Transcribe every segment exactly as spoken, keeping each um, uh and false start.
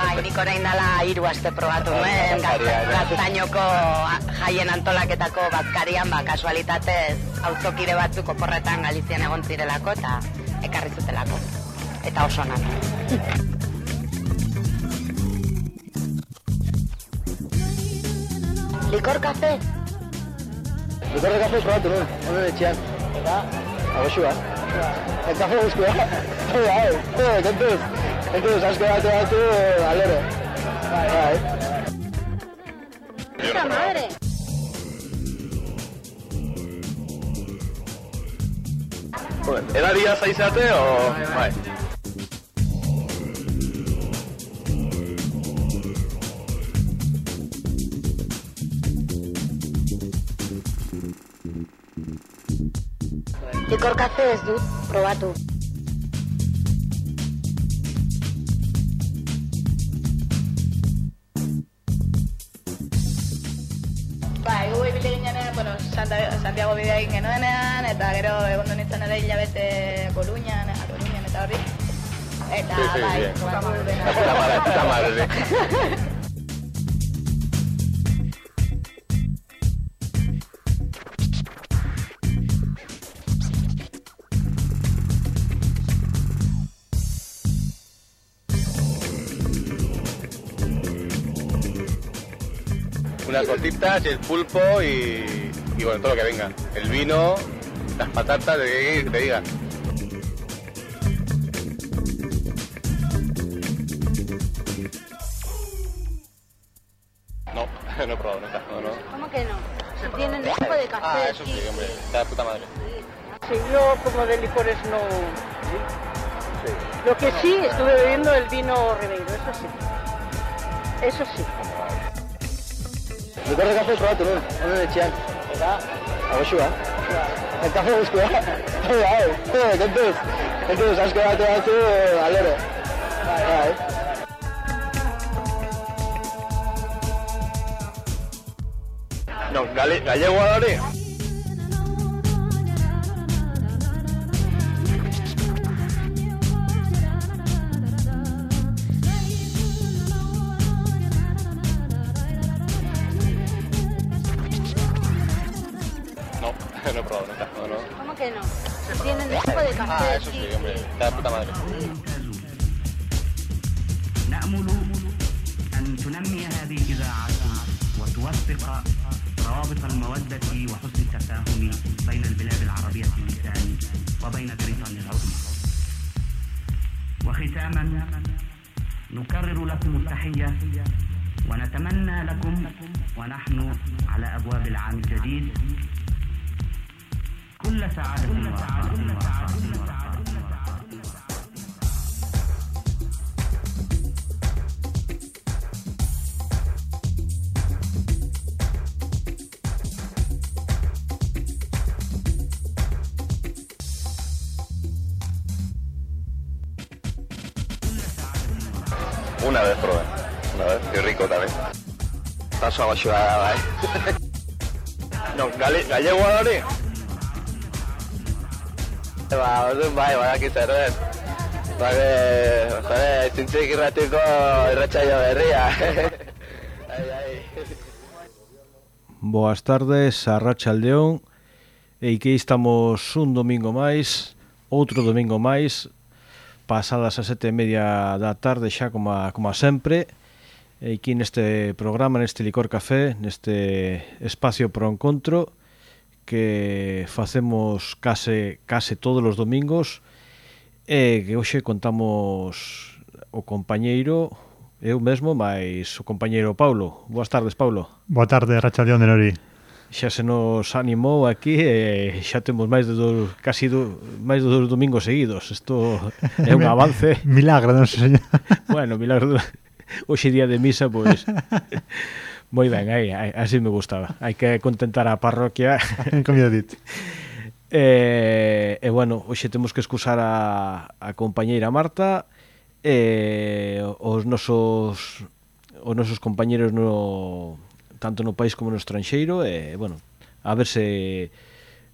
Bai, nik orain dala hiru aste probatu nuen, Gaztainoko jaien antolaketako bazkarian, ba, kasualitatez, auzokide batzuk oporretan Galizian egon zirelako, eta ekarri zutelako. Eta oso onak. Likor kafe? Likor de kafe probatu nuen, honen etxean. Eta? Agoxua. El kafe guztua. Hau, hau, kontuz. Kontuz, asko bate batu, alero. Bai, bai. ¡Puta madre! Joder, ¿edaria zaizate o...? Bai. Likor kafe ez dut, probatu. Ba, egu ibile ginean, bueno, Santiago bidea egin genuenean, eta gero egon nintzen ere hilabete Koluñan, Koluñan eta horri. Eta, sí, sí, bai, probatu dena. La puta madre, puta madre. Unas tortitas, el pulpo y, y bueno, todo lo que venga. El vino, las patatas, de que te digan. No, no he probado nunca, no, no. ¿Cómo que no? Si tienen un tipo de café. Ah, eso sí, hombre, está de puta madre. Sí, yo como de licores no... Sí. Lo que sí, estuve bebiendo el vino Ribeiro, eso sí. Eso sí. Likor de kafe probatu nuen, honen etxean. Eta? Agoxua. El kafe guztua. Hau, hau, kontuz. Kontuz, asko bate batu, alero. Bai, bai. No, gale, gallego da hori? No, no he probado nunca, no, no. ¿Cómo que no? Si tienen un tipo de café. Ah, eso sí, hombre, está de puta madre. نأمل أن تنمي هذه الإذاعة وتوثق روابط المودة وحسن التفاهم بين البلاد العربية اللسان وبين بريطانيا العظمى. وختاما نكرر لكم التحية ونتمنى لكم ونحن على أبواب العام الجديد كل سعادة ورحمة. Una vez probé, una vez, qué rico también. Paso a baixoa, bai. No, gale, gallego da hori? Ba, orduan bai, badaki zer den. Ba, jode, zintzik irratiko irratsaio berria. Ai, ai. Boas tardes, arratsaldeón. E que estamos un domingo máis, outro domingo máis, pasadas as sete e media da tarde xa como a, como a sempre, e aquí neste programa, neste Licor Café, neste espacio pro encontro que facemos case, case todos os domingos, e que hoxe contamos o compañeiro, eu mesmo, máis o compañeiro Paulo. Boas tardes, Paulo. Boa tarde, Rachaldeón de Nori. Xa se nos animou aquí e xa temos máis de dos, casi do, máis de dos domingos seguidos. Isto é un avance. Milagro, non sei, señor. Bueno, milagro. Hoxe día de misa, pois moi ben, aí, así me gustaba. Hai que contentar a parroquia. Como eu dito. E, e bueno, hoxe temos que excusar a, a compañeira Marta e os nosos os nosos compañeros no tanto no país como no estranxeiro e, bueno, a ver se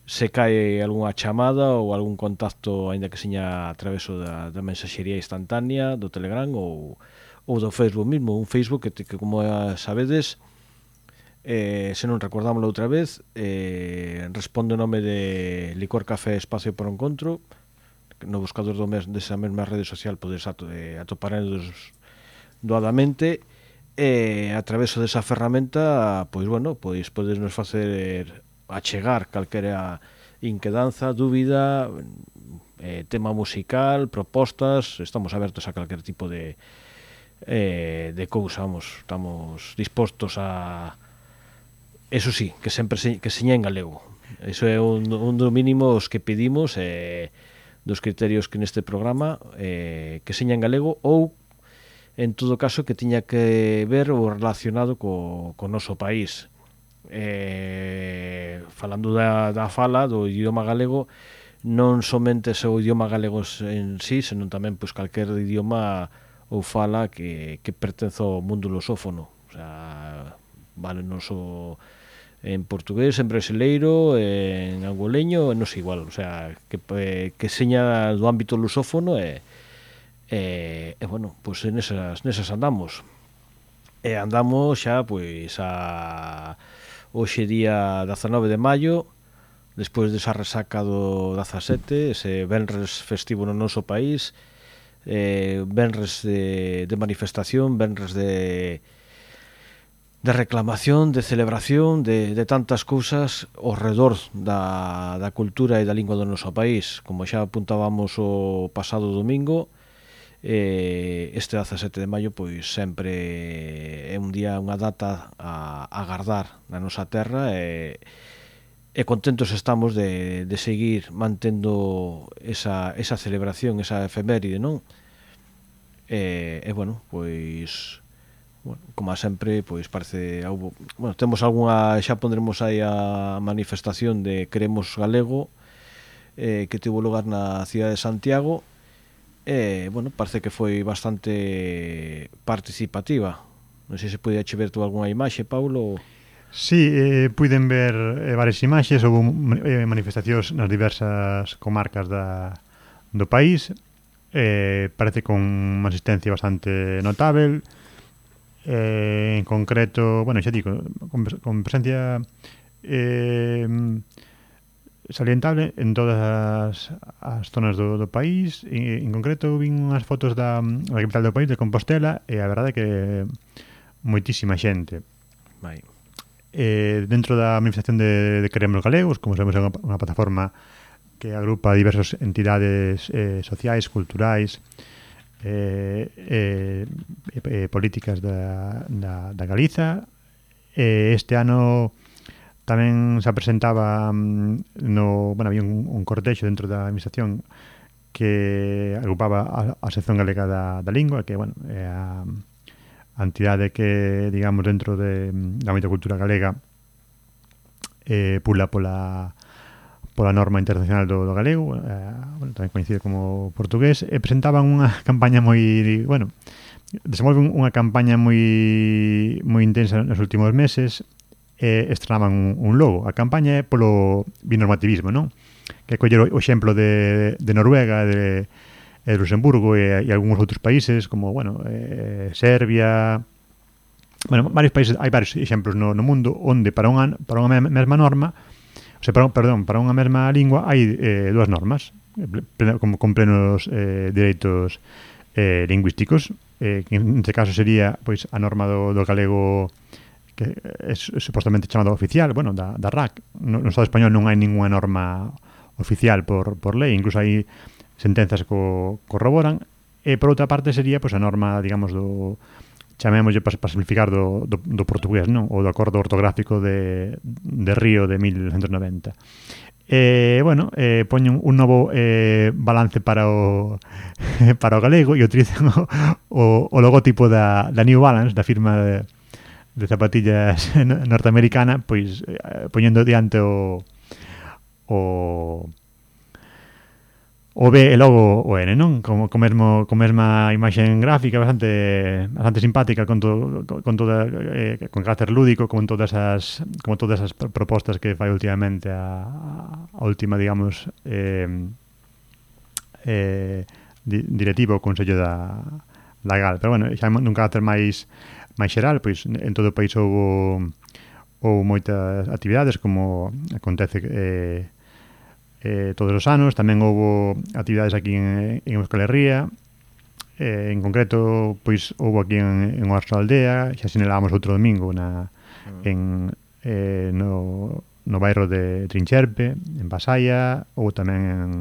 se cae algunha chamada ou algún contacto, aínda que seña a traveso da, da mensaxería instantánea do Telegram ou, ou do Facebook mismo, un Facebook que, que como sabedes, eh, se non recordámoslo outra vez, eh, responde o nome de Licor Café Espacio por Encontro. No buscador do mes, desa mesma rede social podes ato, eh, atoparedos doadamente, e a través desa ferramenta, pois bueno, pois podes nos facer achegar calquera inquedanza, dúbida, eh, tema musical, propostas. Estamos abertos a calquer tipo de eh, de cousa, vamos, estamos dispostos a, eso sí, que sempre se, que seña en galego. Eso é un, un do mínimo os que pedimos, eh, dos criterios que neste programa, eh, que seña en galego, ou en todo caso que tiña que ver o relacionado co, co noso país. Eh, falando da, da fala do idioma galego, non somente o idioma galego en sí, senón tamén pois calquer idioma ou fala que, que pertence ao mundo lusófono. O sea, vale, non so en portugués, en brasileiro, en angoleño, non sei igual, o sea, que, que seña do ámbito lusófono e, e, e bueno, pois nesas, nesas andamos. E andamos xa, pois, a hoxe día dezanove de maio, despois desa resaca do dezasete, ese venres festivo no noso país, eh, venres de, de manifestación, venres de de reclamación, de celebración, de, de tantas cousas ao redor da, da cultura e da lingua do noso país. Como xa apuntábamos o pasado domingo, eh, este dezasete de maio pois sempre é un día, unha data a, a agardar na nosa terra, e, e contentos estamos de, de seguir mantendo esa, esa celebración, esa efeméride, non? E, e bueno, pois... Bueno, como sempre, pois parece houbo, bueno, temos algunha, xa pondremos aí a manifestación de Queremos Galego, eh, que tivo lugar na cidade de Santiago, e, eh, bueno, parece que foi bastante participativa. Non sei se podía che ver tú algunha imaxe, Paulo? Sí, eh, puiden ver eh, varias imaxes, houve eh, manifestacións nas diversas comarcas da, do país, eh, parece con unha asistencia bastante notável. Eh, en concreto, bueno, xa digo, con, con presencia eh, salientable en todas as, as zonas do, do país. En, en concreto, vin unhas fotos da, da capital do país, de Compostela, e a verdade é que moitísima xente. Vai. Eh, dentro da manifestación de, de Queremos Galegos, como sabemos, é unha, unha plataforma que agrupa diversas entidades eh, sociais, culturais, Eh, eh, eh, políticas da, da, da Galiza. Eh, este ano tamén se presentaba no, bueno, había un, un cortexo dentro da administración que agrupaba a, a sección galega da, da lingua, que, bueno, é a, a entidade que, digamos, dentro de, da ámbito cultura galega eh, pula pola pola norma internacional do, do galego, eh, bueno, tamén coincide como portugués, e presentaban unha campaña moi, bueno, desenvolven unha campaña moi moi intensa nos últimos meses, e estrenaban un, un logo. A campaña é polo binormativismo, non? Que coller o exemplo de, de Noruega, de, de Luxemburgo e, e algúns outros países, como, bueno, eh, Serbia, bueno, varios países, hai varios exemplos no, no mundo onde para unha, para unha mesma norma, o sea, para, perdón, para unha mesma lingua hai eh, dúas normas pleno, como, con plenos eh, dereitos eh, lingüísticos, eh, que en este caso sería pois a norma do, do galego, que é supostamente chamado oficial, bueno, da, da R A C. No, no Estado español non hai ninguna norma oficial por, por lei, incluso hai sentenzas que co corroboran, e por outra parte sería pois a norma, digamos, do chamémoslle para pa simplificar do, do, do portugués, non? O do acordo ortográfico de, de Río de mil novecentos noventa. E, bueno, eh, poñen un novo eh, balance para o para o galego e utilizan o, o, o logotipo da, da New Balance, da firma de, de zapatillas norteamericana, pois eh, poñendo diante o o o B e logo o N, non? Como co mesmo co mesma imaxe gráfica bastante bastante simpática, con todo con toda eh, con carácter lúdico, con todas as como todas as propostas que fai últimamente a, a última, digamos, eh, eh, di, directivo o Consello da da Gal. Pero, bueno, xa nun carácter máis máis xeral, pois en todo o país houve houve moitas actividades, como acontece eh, eh, todos os anos. Tamén houve actividades aquí en, en Euskal Herria. Eh, en concreto, pois houve aquí en, en Oarso Aldea, xa sinalábamos outro domingo na, en, eh, no, no bairro de Trincherpe, en Pasaia, ou tamén en,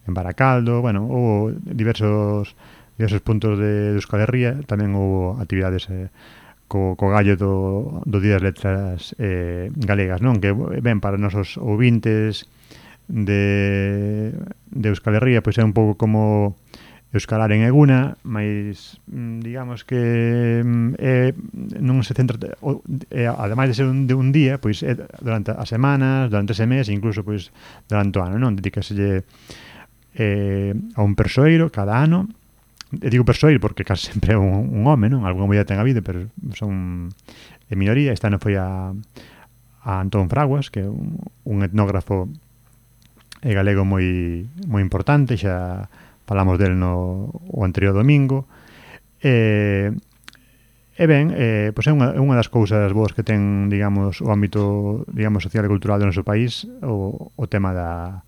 en Baracaldo. Bueno, houve diversos diversos puntos de, de Euskal Herria. Tamén houve actividades eh, co, co gallo do, do Día das Letras eh, galegas, non? Que ben, para nosos ouvintes de, de Euskal Herria, pois é un pouco como euskalar en eguna, mas digamos que eh, non se centra o, eh, ademais de ser un, de un día, pois é durante as semanas, durante ese mes, incluso pois durante o ano, non? Dedícaselle eh, a un persoeiro cada ano. E digo persoeiro porque casi sempre é un, un home, non? Alguna moeda ten habido, pero son en minoría. Este ano foi a, a Antón Fraguas, que é un, un etnógrafo e galego moi moi importante. Xa falamos del no o anterior domingo. E, e ben, eh, pois é unha, unha das cousas boas que ten, digamos, o ámbito, digamos, social e cultural do noso país, o, o tema da,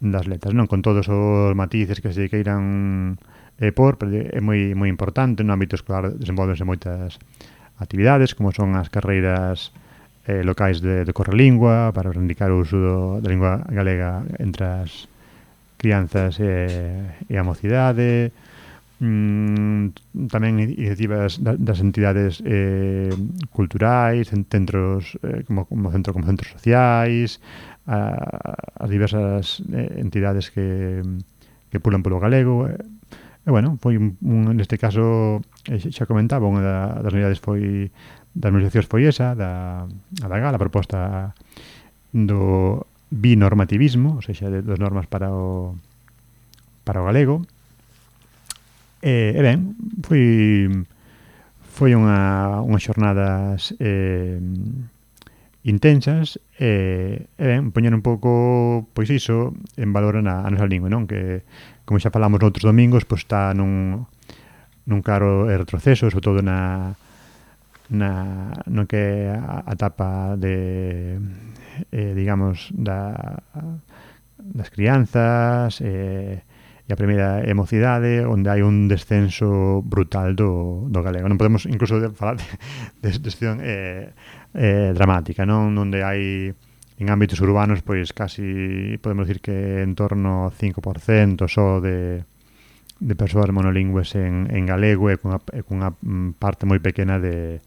das letras, non? Con todos os matices que se queiran eh, por, pero é moi moi importante. No ámbito escolar desenvolvense moitas actividades, como son as carreiras eh, locais de, de correlingua, para reivindicar o uso do, da lingua galega entre as crianzas e, e a mocidade. Mm, tamén iniciativas das entidades eh, culturais, en centros eh, como, como centro como centros sociais, a, as diversas eh, entidades que, que pulan polo galego. E, bueno, foi un, un, neste caso, eh, xa comentaba, unha das unidades foi das negociacións foi esa, da, a da Gal, a proposta do binormativismo, ou seja, de dos normas para o para o galego. E, e ben, foi foi unha unhas xornadas eh, intensas e, e ben, poñer un pouco, pois iso, en valor a, a nosa lingua, non? Que, como xa falamos noutros domingos, pois está nun, nun claro retroceso, sobre todo na, na no que a, a etapa de, eh, digamos, da, das crianzas e, e a primeira emocidade, onde hai un descenso brutal do, do galego. Non podemos incluso falar de, de situación eh, eh, dramática, non? Onde hai en ámbitos urbanos, pois casi podemos decir que en torno ao cinco por cento só de, de persoas monolingües en, en galego e cunha, e cunha parte moi pequena de,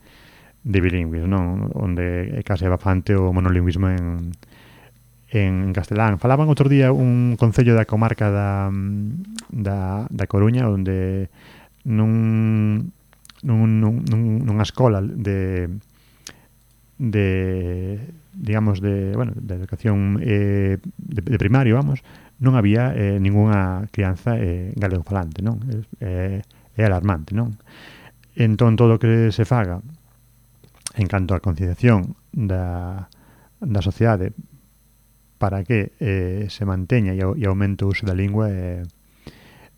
de bilingües, non? Onde é case bastante o monolingüismo en, en castelán. Falaban outro día un concello da comarca da, da, da Coruña, onde nun, nun, nun, nunha escola de de digamos de, bueno, de educación eh, de, de primario, vamos, non había eh, ningunha crianza eh, galego falante, non? É, é alarmante, non? Entón, todo o que se faga en canto á concienciación da, da sociedade para que eh, se manteña e, e aumente o uso da lingua é,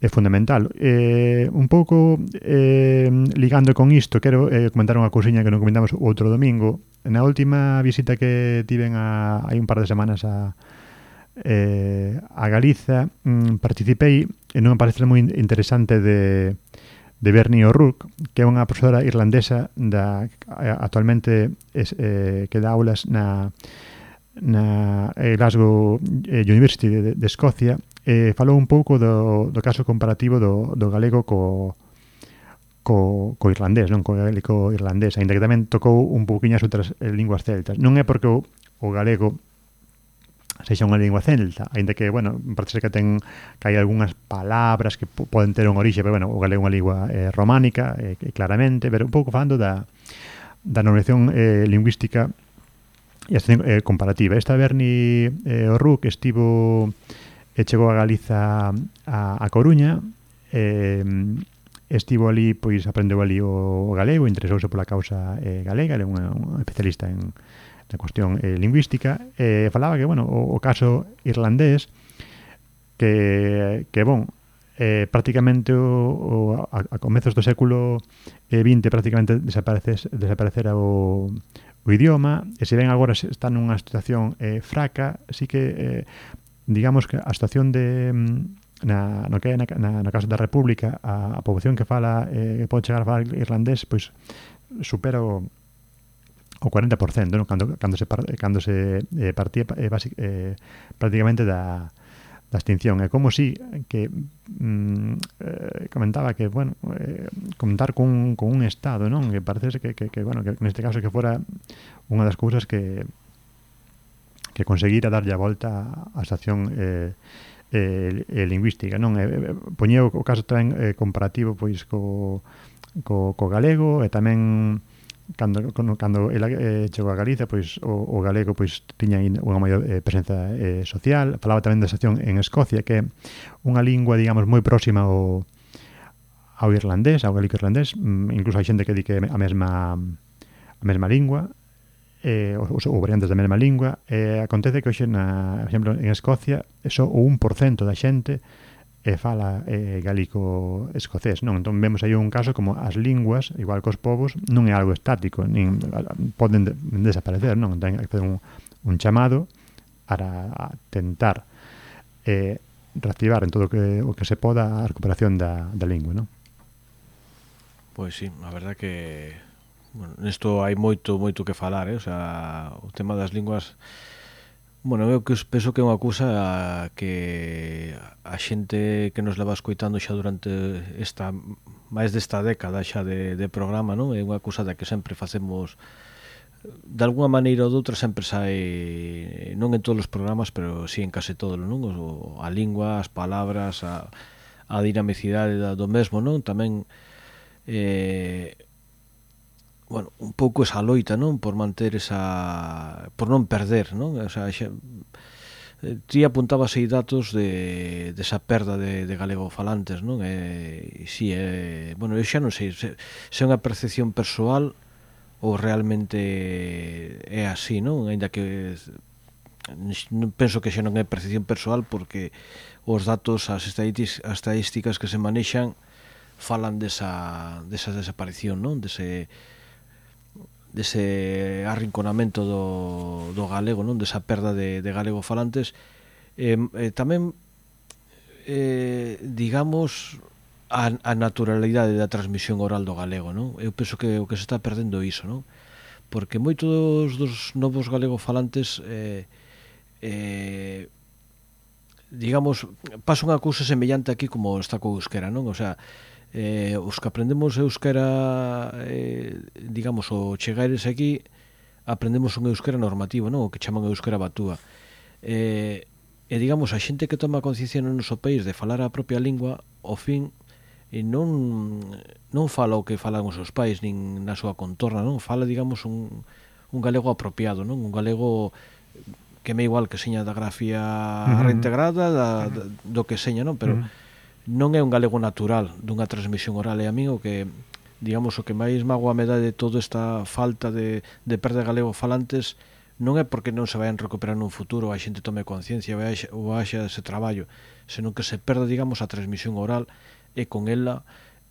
é fundamental. Eh, un pouco eh, ligando con isto, quero eh, comentar unha cousiña que non comentamos outro domingo. Na última visita que tiven a, hai un par de semanas a, eh, a Galiza, mm, participei en unha palestra moi interesante de, de Bernie O'Rourke, que é unha profesora irlandesa da, actualmente es, eh, que dá aulas na na Glasgow University de, de Escocia. Eh, falou un pouco do, do caso comparativo do, do galego co, co, co irlandés, non? Co gaélico irlandés, ainda que tamén tocou un pouquiño as outras eh, linguas celtas. Non é porque o, o galego sexa unha lingua celta, ainda que, bueno, parece que ten que hai algunhas palabras que p- poden ter un orixe, pero, bueno, o galego é unha lingua eh, románica, eh, claramente, pero un pouco falando da, da normalización eh, lingüística e eh, comparativa. Esta Bernie eh, O'Rourke estivo e chegou a Galiza a, a Coruña, eh, estivo ali, pois aprendeu ali o, o galego, interesouse pola causa eh, galega, é unha, unha especialista en na cuestión eh, lingüística, e eh, falaba que, bueno, o, o caso irlandés que, que bon, eh, prácticamente o, o, a, a comezos do século vinte prácticamente desaparece, desaparecera o, o idioma, e se ven agora está nunha situación eh, fraca, así que eh, digamos que a situación de na, no que é na, na, na Casa da República a, a poboación que fala eh, que pode chegar a falar irlandés pois supera o o cuarenta por cento, ¿no? cando, cando se, cando se eh, partía eh, basic, eh, prácticamente da, da extinción. É como si que mm, eh, comentaba que, bueno, eh, contar con, con un Estado, non? Que parece que, que, que, bueno, que neste caso que fora unha das cousas que que conseguira darlle a volta á situación eh, eh, eh, lingüística, non? Eh, poñeu o caso tamén eh, comparativo pois co, co, co galego e tamén cando cando ela eh, chegou a Galicia, pois o, o galego pois tiña unha maior eh, presenza eh, social. Falaba tamén da situación en Escocia, que é unha lingua, digamos, moi próxima ao ao irlandés, ao galico irlandés, incluso hai xente que di que a mesma a mesma lingua, eh, ou, ou variantes da mesma lingua. Eh, acontece que hoxe, na, por exemplo, en Escocia, só o un por cento da xente e fala eh, galico escocés, non? Entón vemos aí un caso como as linguas, igual que os povos, non é algo estático, nin poden de, desaparecer, non? Ten que facer un, un chamado para tentar eh, reactivar en todo o que, o que se poda a recuperación da, da lingua, non? Pois sí, a verdad que bueno, nesto hai moito, moito que falar, eh? O sea, o tema das linguas. Bueno, eu que penso que é unha cousa que a xente que nos leva escoitando xa durante esta máis desta década xa de, de programa, non? É unha cousa da que sempre facemos de alguna maneira ou doutra, sempre sai, non en todos os programas, pero sí en case todos, non? O, a lingua, as palabras, a, a dinamicidade do mesmo, non? Tamén eh, bueno, un pouco esa loita, non? Por manter esa... por non perder, non? O sea, xa... ti apuntabas aí datos de, de esa perda de, de galegofalantes, non? E, si, é... bueno, eu xa non sei se, se é unha percepción persoal ou realmente é así, non? Ainda que non penso que xa non é percepción persoal, porque os datos, as estadísticas que se manexan falan desa, desa desaparición, non? Dese... dese arrinconamento do, do galego, non? Desa perda de, de galegofalantes. Eh, eh, tamén eh, digamos a, a naturalidade da transmisión oral do galego, non? Eu penso que o que se está perdendo iso, non? Porque moitos dos novos galegofalantes eh, eh, digamos, pasa unha cousa semellante aquí como está co euskera, non? O sea, Eh, os que aprendemos euskera eh, digamos, o chegares aquí aprendemos un euskera normativo, non? O que chaman euskera batúa eh, e digamos, a xente que toma conciencia no noso país de falar a propia lingua, ao fin e non, non fala o que falan os seus pais nin na súa contorna, non? Fala, digamos, un, un galego apropiado, non? Un galego que me igual que seña da grafía uh-huh. reintegrada da, da, do que seña, non? Pero uh-huh. non é un galego natural dunha transmisión oral, e a mí o que, digamos, o que máis mágoa me dá de toda esta falta de, de perda de galego falantes non é porque non se vayan recuperar nun futuro, a xente tome conciencia ou haxa ese traballo, senón que se perda, digamos, a transmisión oral e con ela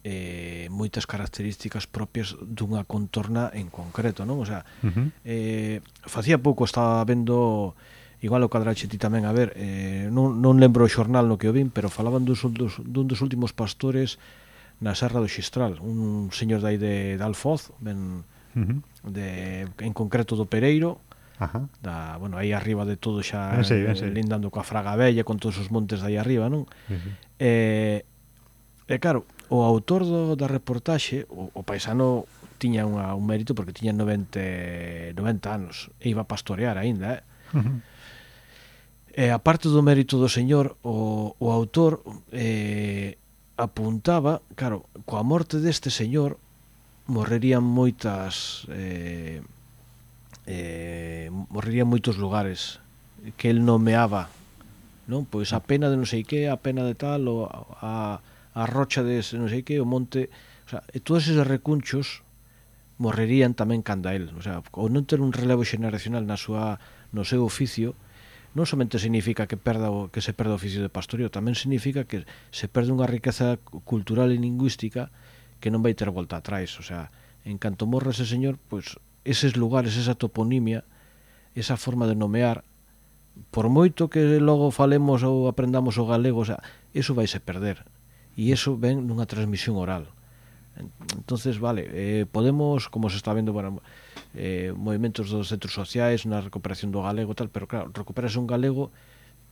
eh, moitas características propias dunha contorna en concreto, non? O sea, uh-huh. eh, facía pouco estaba vendo, igual o cadrache ti tamén, a ver, eh, non, non lembro o xornal no que o vin, pero falaban dos, dos, dun dos últimos pastores na Serra do Xistral, un señor dai de, de Alfoz, ben, uh-huh. de, en concreto do Pereiro, uh-huh. da, bueno, aí arriba de todo xa, ben sei, ben sei. Lindando coa Fraga Bella, con todos os montes de aí arriba, non? Uh-huh. E, e claro, o autor do, da reportaxe, o, o paisano tiña unha, un mérito porque tiña noventa, noventa anos e iba a pastorear aínda, eh? Uh-huh. E a parte do mérito do señor, o, o autor eh, apuntaba, claro, coa morte deste señor morrerían moitas eh, eh, morrerían moitos lugares que el nomeaba, non? Pois a pena de non sei que, a pena de tal, ou a, a rocha de non sei que, o monte, o sea, e todos eses recunchos morrerían tamén canda el, o sea, ou non ter un relevo xeneracional na súa, no seu oficio, non somente significa que perda o, que se perda o oficio de pastoreo, tamén significa que se perde unha riqueza cultural e lingüística que non vai ter volta atrás. O sea, en canto morra ese señor, pois eses lugares, esa toponimia, esa forma de nomear, por moito que logo falemos ou aprendamos o galego, o sea, eso vai se perder, e eso ven nunha transmisión oral. Entonces, vale, eh, podemos, como se está vendo, bueno, eh, movimentos dos centros sociais na recuperación do galego tal, pero claro, recuperase un galego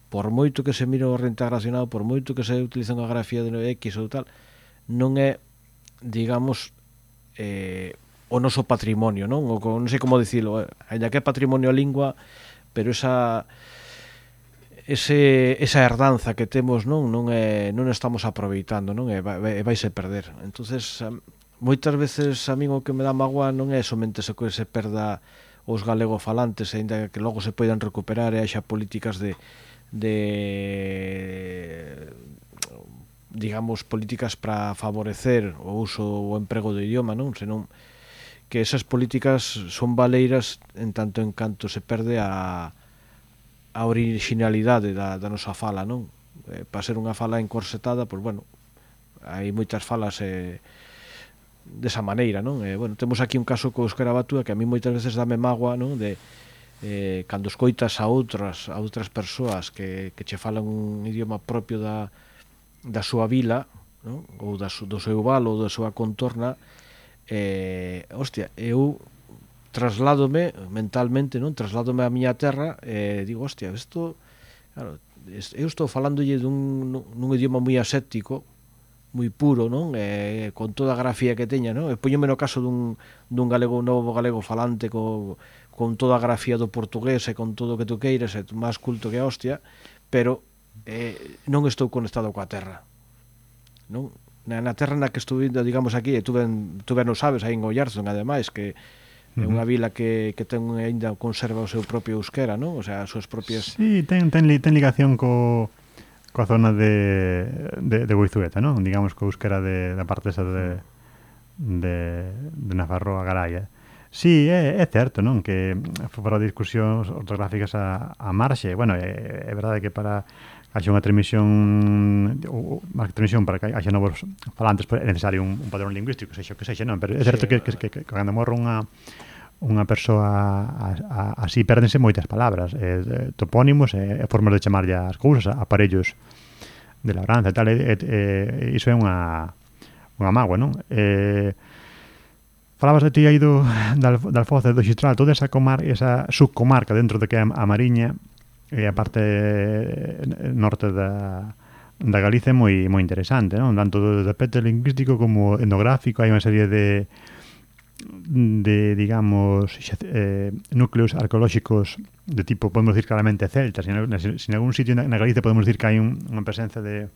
por moito que se mire o reintegracionado, por moito que se utiliza unha grafía de X ou tal, non é, digamos, eh, o noso patrimonio, non? O, non sei como dicilo, eh, ainda que é patrimonio a lingua, pero esa ese esa herdanza que temos, non, non é non estamos aproveitando, non? E vai, vaise perder. Entonces, moitas veces a min o que me dá mágoa non é somente se que se perda os galegofalantes, aínda que logo se poidan recuperar e haxa políticas de de digamos políticas para favorecer o uso ou o emprego do idioma, non? Senón que esas políticas son valeiras en tanto en canto se perde a a originalidade da, da nosa fala, non? Eh, para ser unha fala encorsetada, pois bueno, hai moitas falas eh, desa maneira, non? Eh, bueno, temos aquí un caso co euskera batúa que a mí moitas veces dame mágoa, non? De eh, cando escoitas a outras a outras persoas que, que che falan un idioma propio da, da súa vila, non? Ou da, do seu val ou da súa contorna, eh, hostia, eu trasládome mentalmente, non? Trasládome á miña terra e eh, digo, hostia, isto, claro, eu estou falándolle dun, nun idioma moi aséptico, moi puro, non? Eh, con toda a grafía que teña, non? E poñome no caso dun, dun galego, novo galego falante co, con toda a grafía do portugués e con todo o que tu queiras, e máis culto que a hostia, pero eh, non estou conectado coa terra, non? Na, na terra na que estuve, digamos aquí, e tu ben, tu ben o sabes, aí en Ollarzón, ademais, que é unha vila que, que ten ainda conserva o seu propio euskera, non? O sea, as súas propias... Sí, ten, ten, ten ligación co, coa zona de, de, de Boizueta, non? Digamos, co euskera de, da parte esa de, de, de Nafarroa Garaya. Sí, é, é certo, non? Que para discusións ortográficas a, a marxe, bueno, é, é verdade que para haxa unha transmisión ou máis que transmisión para que haxa novos falantes é necesario un, un padrón lingüístico, sexa o que sexa, non? Pero é certo sí, que, que, que, que cando morre unha unha persoa a, a, así pérdense moitas palabras, eh, topónimos e eh, formas de chamarlle as cousas, aparellos de labranza e tal, e, e, iso é unha unha mágoa, non? Eh, falabas de ti aí do, da, da Alfoz e do Xistral, toda esa comar, esa subcomarca dentro de que é a Mariña e a parte norte da, da Galicia é moi, moi interesante, non? Tanto do aspecto lingüístico como etnográfico, hai unha serie de de, digamos, eh, núcleos arqueolóxicos de tipo, podemos decir claramente celta. Si en, si en algún sitio na, na Galicia podemos decir que hai un, unha presencia de,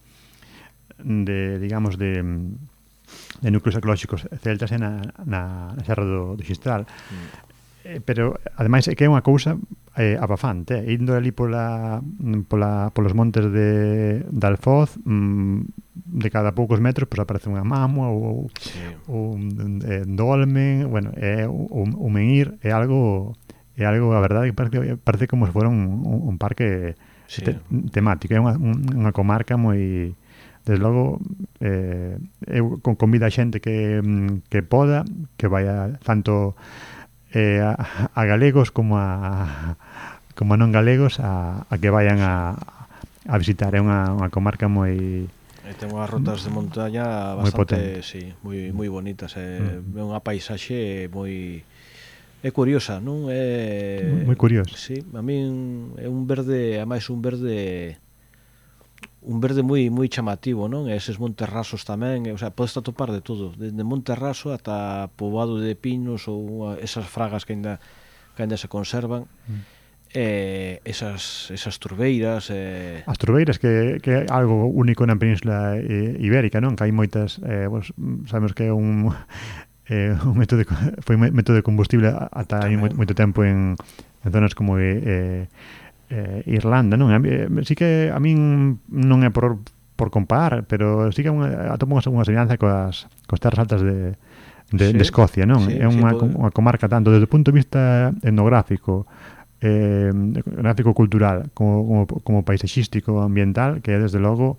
de digamos, de, de núcleos arqueolóxicos celtas na, na, na Serra do, do Xistral. Mm. Eh, pero, ademais, é que é unha cousa eh, abafante. Eh? Indo ali pola, pola, polos montes de, de Alfoz, mm, de cada poucos metros pues, aparece unha mamua ou, sí. ou un eh, dolmen, bueno, é un, un menhir, é algo é algo, a verdade, que parece, parece como se fora un, un, un parque sí. te, temático, é unha, unha comarca moi, desde logo eh, eu convido a xente que, que poda, que vaya tanto eh, a, a galegos como a como a non galegos a, a que vayan a, a visitar, é unha, unha comarca moi... E ten unhas rotas de montaña bastante, sí, moi moi bonitas, é mm. unha paisaxe moi é curiosa, non? É moi curiosa. Sí, a min é un verde, a máis un verde un verde moi moi chamativo, non? E eses montes rasos tamén, o sea, podes atopar de todo, desde monte raso ata poboado de pinos ou esas fragas que ainda que ainda se conservan. Mm. Eh, esas, esas turbeiras eh... as turbeiras que, que é algo único na Península eh, Ibérica, non? Que hai moitas eh, pues, sabemos que é un eh, un método de, foi un método de combustible ata hai moito, moito tempo en, en zonas como eh, eh, Irlanda, non? Eh, sí que a min non é por, por comparar, pero sí que atopo unha, unha semellanza coas, coas terras altas de, de, sí, de Escocia, non? Sí, é unha, sí, unha comarca tanto desde o punto de vista etnográfico eh, gráfico cultural como, como, como paisaxístico ambiental que é desde logo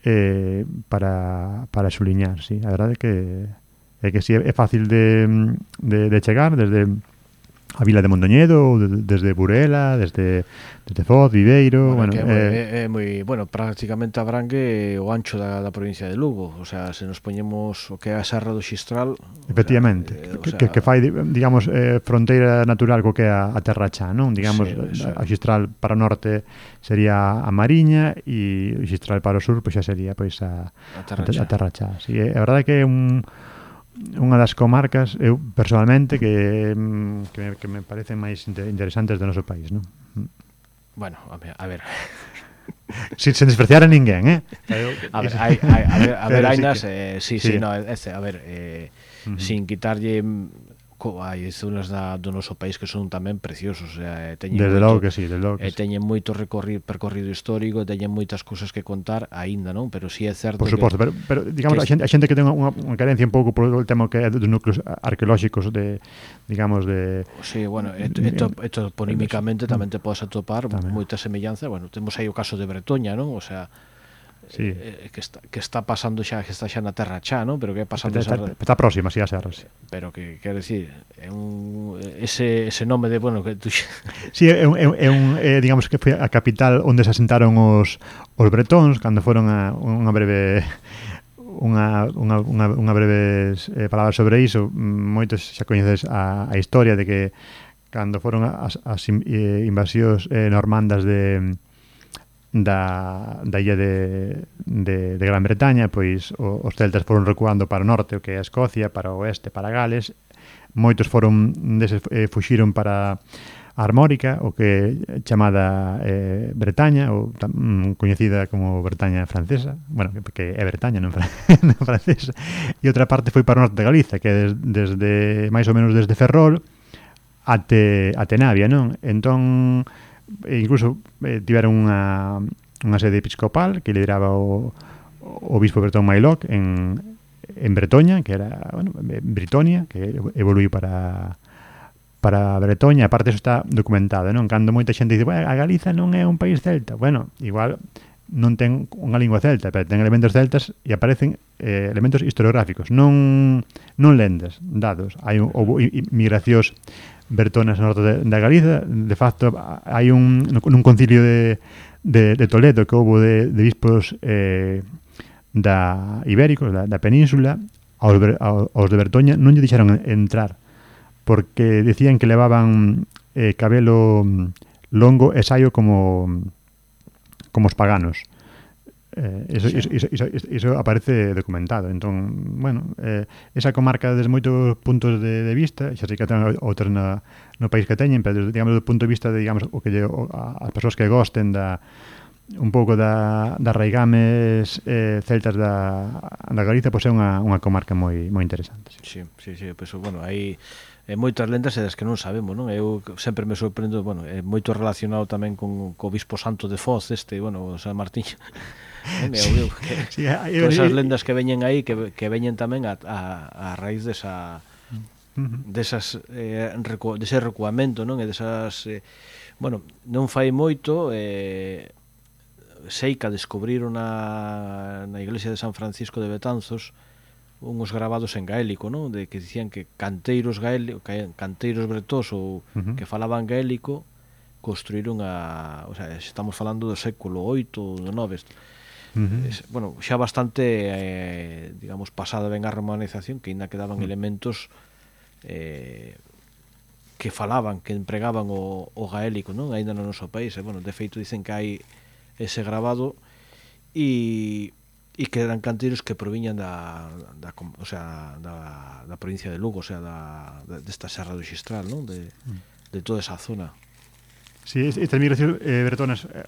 eh, para, para suliñar, sí. A verdade é que é que si é fácil de, de, de chegar desde a vila de Mondoñedo, de, desde Burela, desde, desde Foz, Viveiro, bueno, bueno, que eh, é, é moi, bueno, prácticamente abrangue o ancho da, da provincia de Lugo, o sea, se nos poñemos o que é a Serra do Xistral, efectivamente, o sea, eh, que, o sea, que, que fai, digamos, eh, fronteira natural co que é a, a Terra Chá, non? Digamos, sí, a, a Xistral para o norte sería a Mariña e o Xistral para o sur pois xa sería pois a, a Terra a, Chá. a Terra Chá. Sí, é, a verdade é que é un unha das comarcas, eu personalmente, que, que, me, que me parecen máis interesantes do noso país, non? Bueno, a ver, a ver. Sin, sen despreciar a ninguén, eh? A ver, hai, hai, a ver, a ver, Pero sí Ainas, que- eh, sí, sí. sí, no, ese, a ver, eh, Ujú. sin quitarlle mm, co, hai zonas da, do noso país que son tamén preciosos, o sea, eh, teñen Desde moito, logo que sí, desde logo que e sí. teñen moito recorrido, percorrido histórico, teñen moitas cousas que contar aínda, non? Pero si sí é certo Por suposto, que, pero, pero digamos, que a xente, a xente que ten unha, unha carencia un pouco por o tema que é dos núcleos arqueolóxicos de, digamos, de... sí, bueno, esto, esto, esto ponímicamente tamén te podes atopar Tamén. moita semellanza, bueno, temos aí o caso de Bretoña, non? O sea, Sí. eh, que está que está pasando xa, que está xa na Terra Chá, non? Pero que é pasando Está, esa, está, está próxima, sí, a Serra, sí. pero que quer decir, é un ese ese nome de, bueno, que tú Sí, é un, é un, é un é, digamos que foi a capital onde se asentaron os, os bretóns cando foron a unha breve unha, unha, unha, unha breves eh, palabras sobre iso. Moitos xa coñeces a, a historia de que cando foron as, as in- eh, invasións eh, normandas de da, da illa de, de, de Gran Bretaña, pois o, os celtas foron recuando para o norte, o que é a Escocia, para o oeste, para Gales. Moitos foron deses, eh, fuxiron para a Armórica, o que é chamada eh, Bretaña, ou tam, coñecida como Bretaña francesa, bueno, que é Bretaña, non, fran non francesa, e outra parte foi para o norte de Galiza, que é des, desde, máis ou menos desde Ferrol até, até Navia, non? Entón, e incluso eh, tiveron unha, unha sede episcopal que lideraba o, o obispo Bretón Mailoc en, en Bretoña, que era, bueno, Britonia, que evoluiu para para Bretoña. Aparte, eso está documentado, non? Cando moita xente dice, bueno, a Galiza non é un país celta. Bueno, igual non ten unha lingua celta, pero ten elementos celtas e aparecen eh, elementos historiográficos, non non lendas, dados. Hai un, houve migracións bertonas no norte de, da Galiza. De facto, hai un nun concilio de, de, de Toledo que houve de, de bispos eh, da ibéricos, da, da península, aos, aos de Bertoña non lle deixaron entrar porque decían que levaban eh, cabelo longo e saio como como os paganos. Eh, eso, sí. eso, eso, eso, eso aparece documentado. Entón, bueno, eh, esa comarca desde moitos puntos de, de vista, xa sei que ten outros na, no país que teñen, pero digamos do punto de vista de, digamos, o que lle, o, a, as persoas que gosten da un pouco da, da raigames eh, celtas da, da Galiza, pois é unha, unha comarca moi moi interesante. Sí, sí, sí, pois, bueno, hai eh, moitas lendas e das que non sabemos, non? Eu sempre me sorprendo, bueno, é moito relacionado tamén con co Bispo Santo de Foz, este, bueno, San Martín. Non? Sí, eu, que, sí, eu, todas esas eu, lendas que veñen aí que, que veñen tamén a, a, a raíz desa uh-huh. desas eh, recu, dese recuamento, non? E desas eh, bueno, non fai moito eh, sei que descubriron na, na iglesia de San Francisco de Betanzos unhos grabados en gaélico, non? De que dicían que canteiros gaélicos, canteiros bretóns ou uh-huh. que falaban gaélico construíron a, o sea, estamos falando do século oito, do nove. Uh-huh. Es, bueno, xa bastante eh, digamos, pasada ben a romanización, que ainda quedaban uh-huh. elementos eh, que falaban, que empregaban o, o gaélico, non? Ainda no noso país, e, bueno, de feito dicen que hai ese grabado e e que eran canteiros que proviñan da, da o sea, da, da provincia de Lugo, o sea, da, da desta Serra do Xistral, non? De, de toda esa zona. Sí, estas migracións eh, bretonas eh,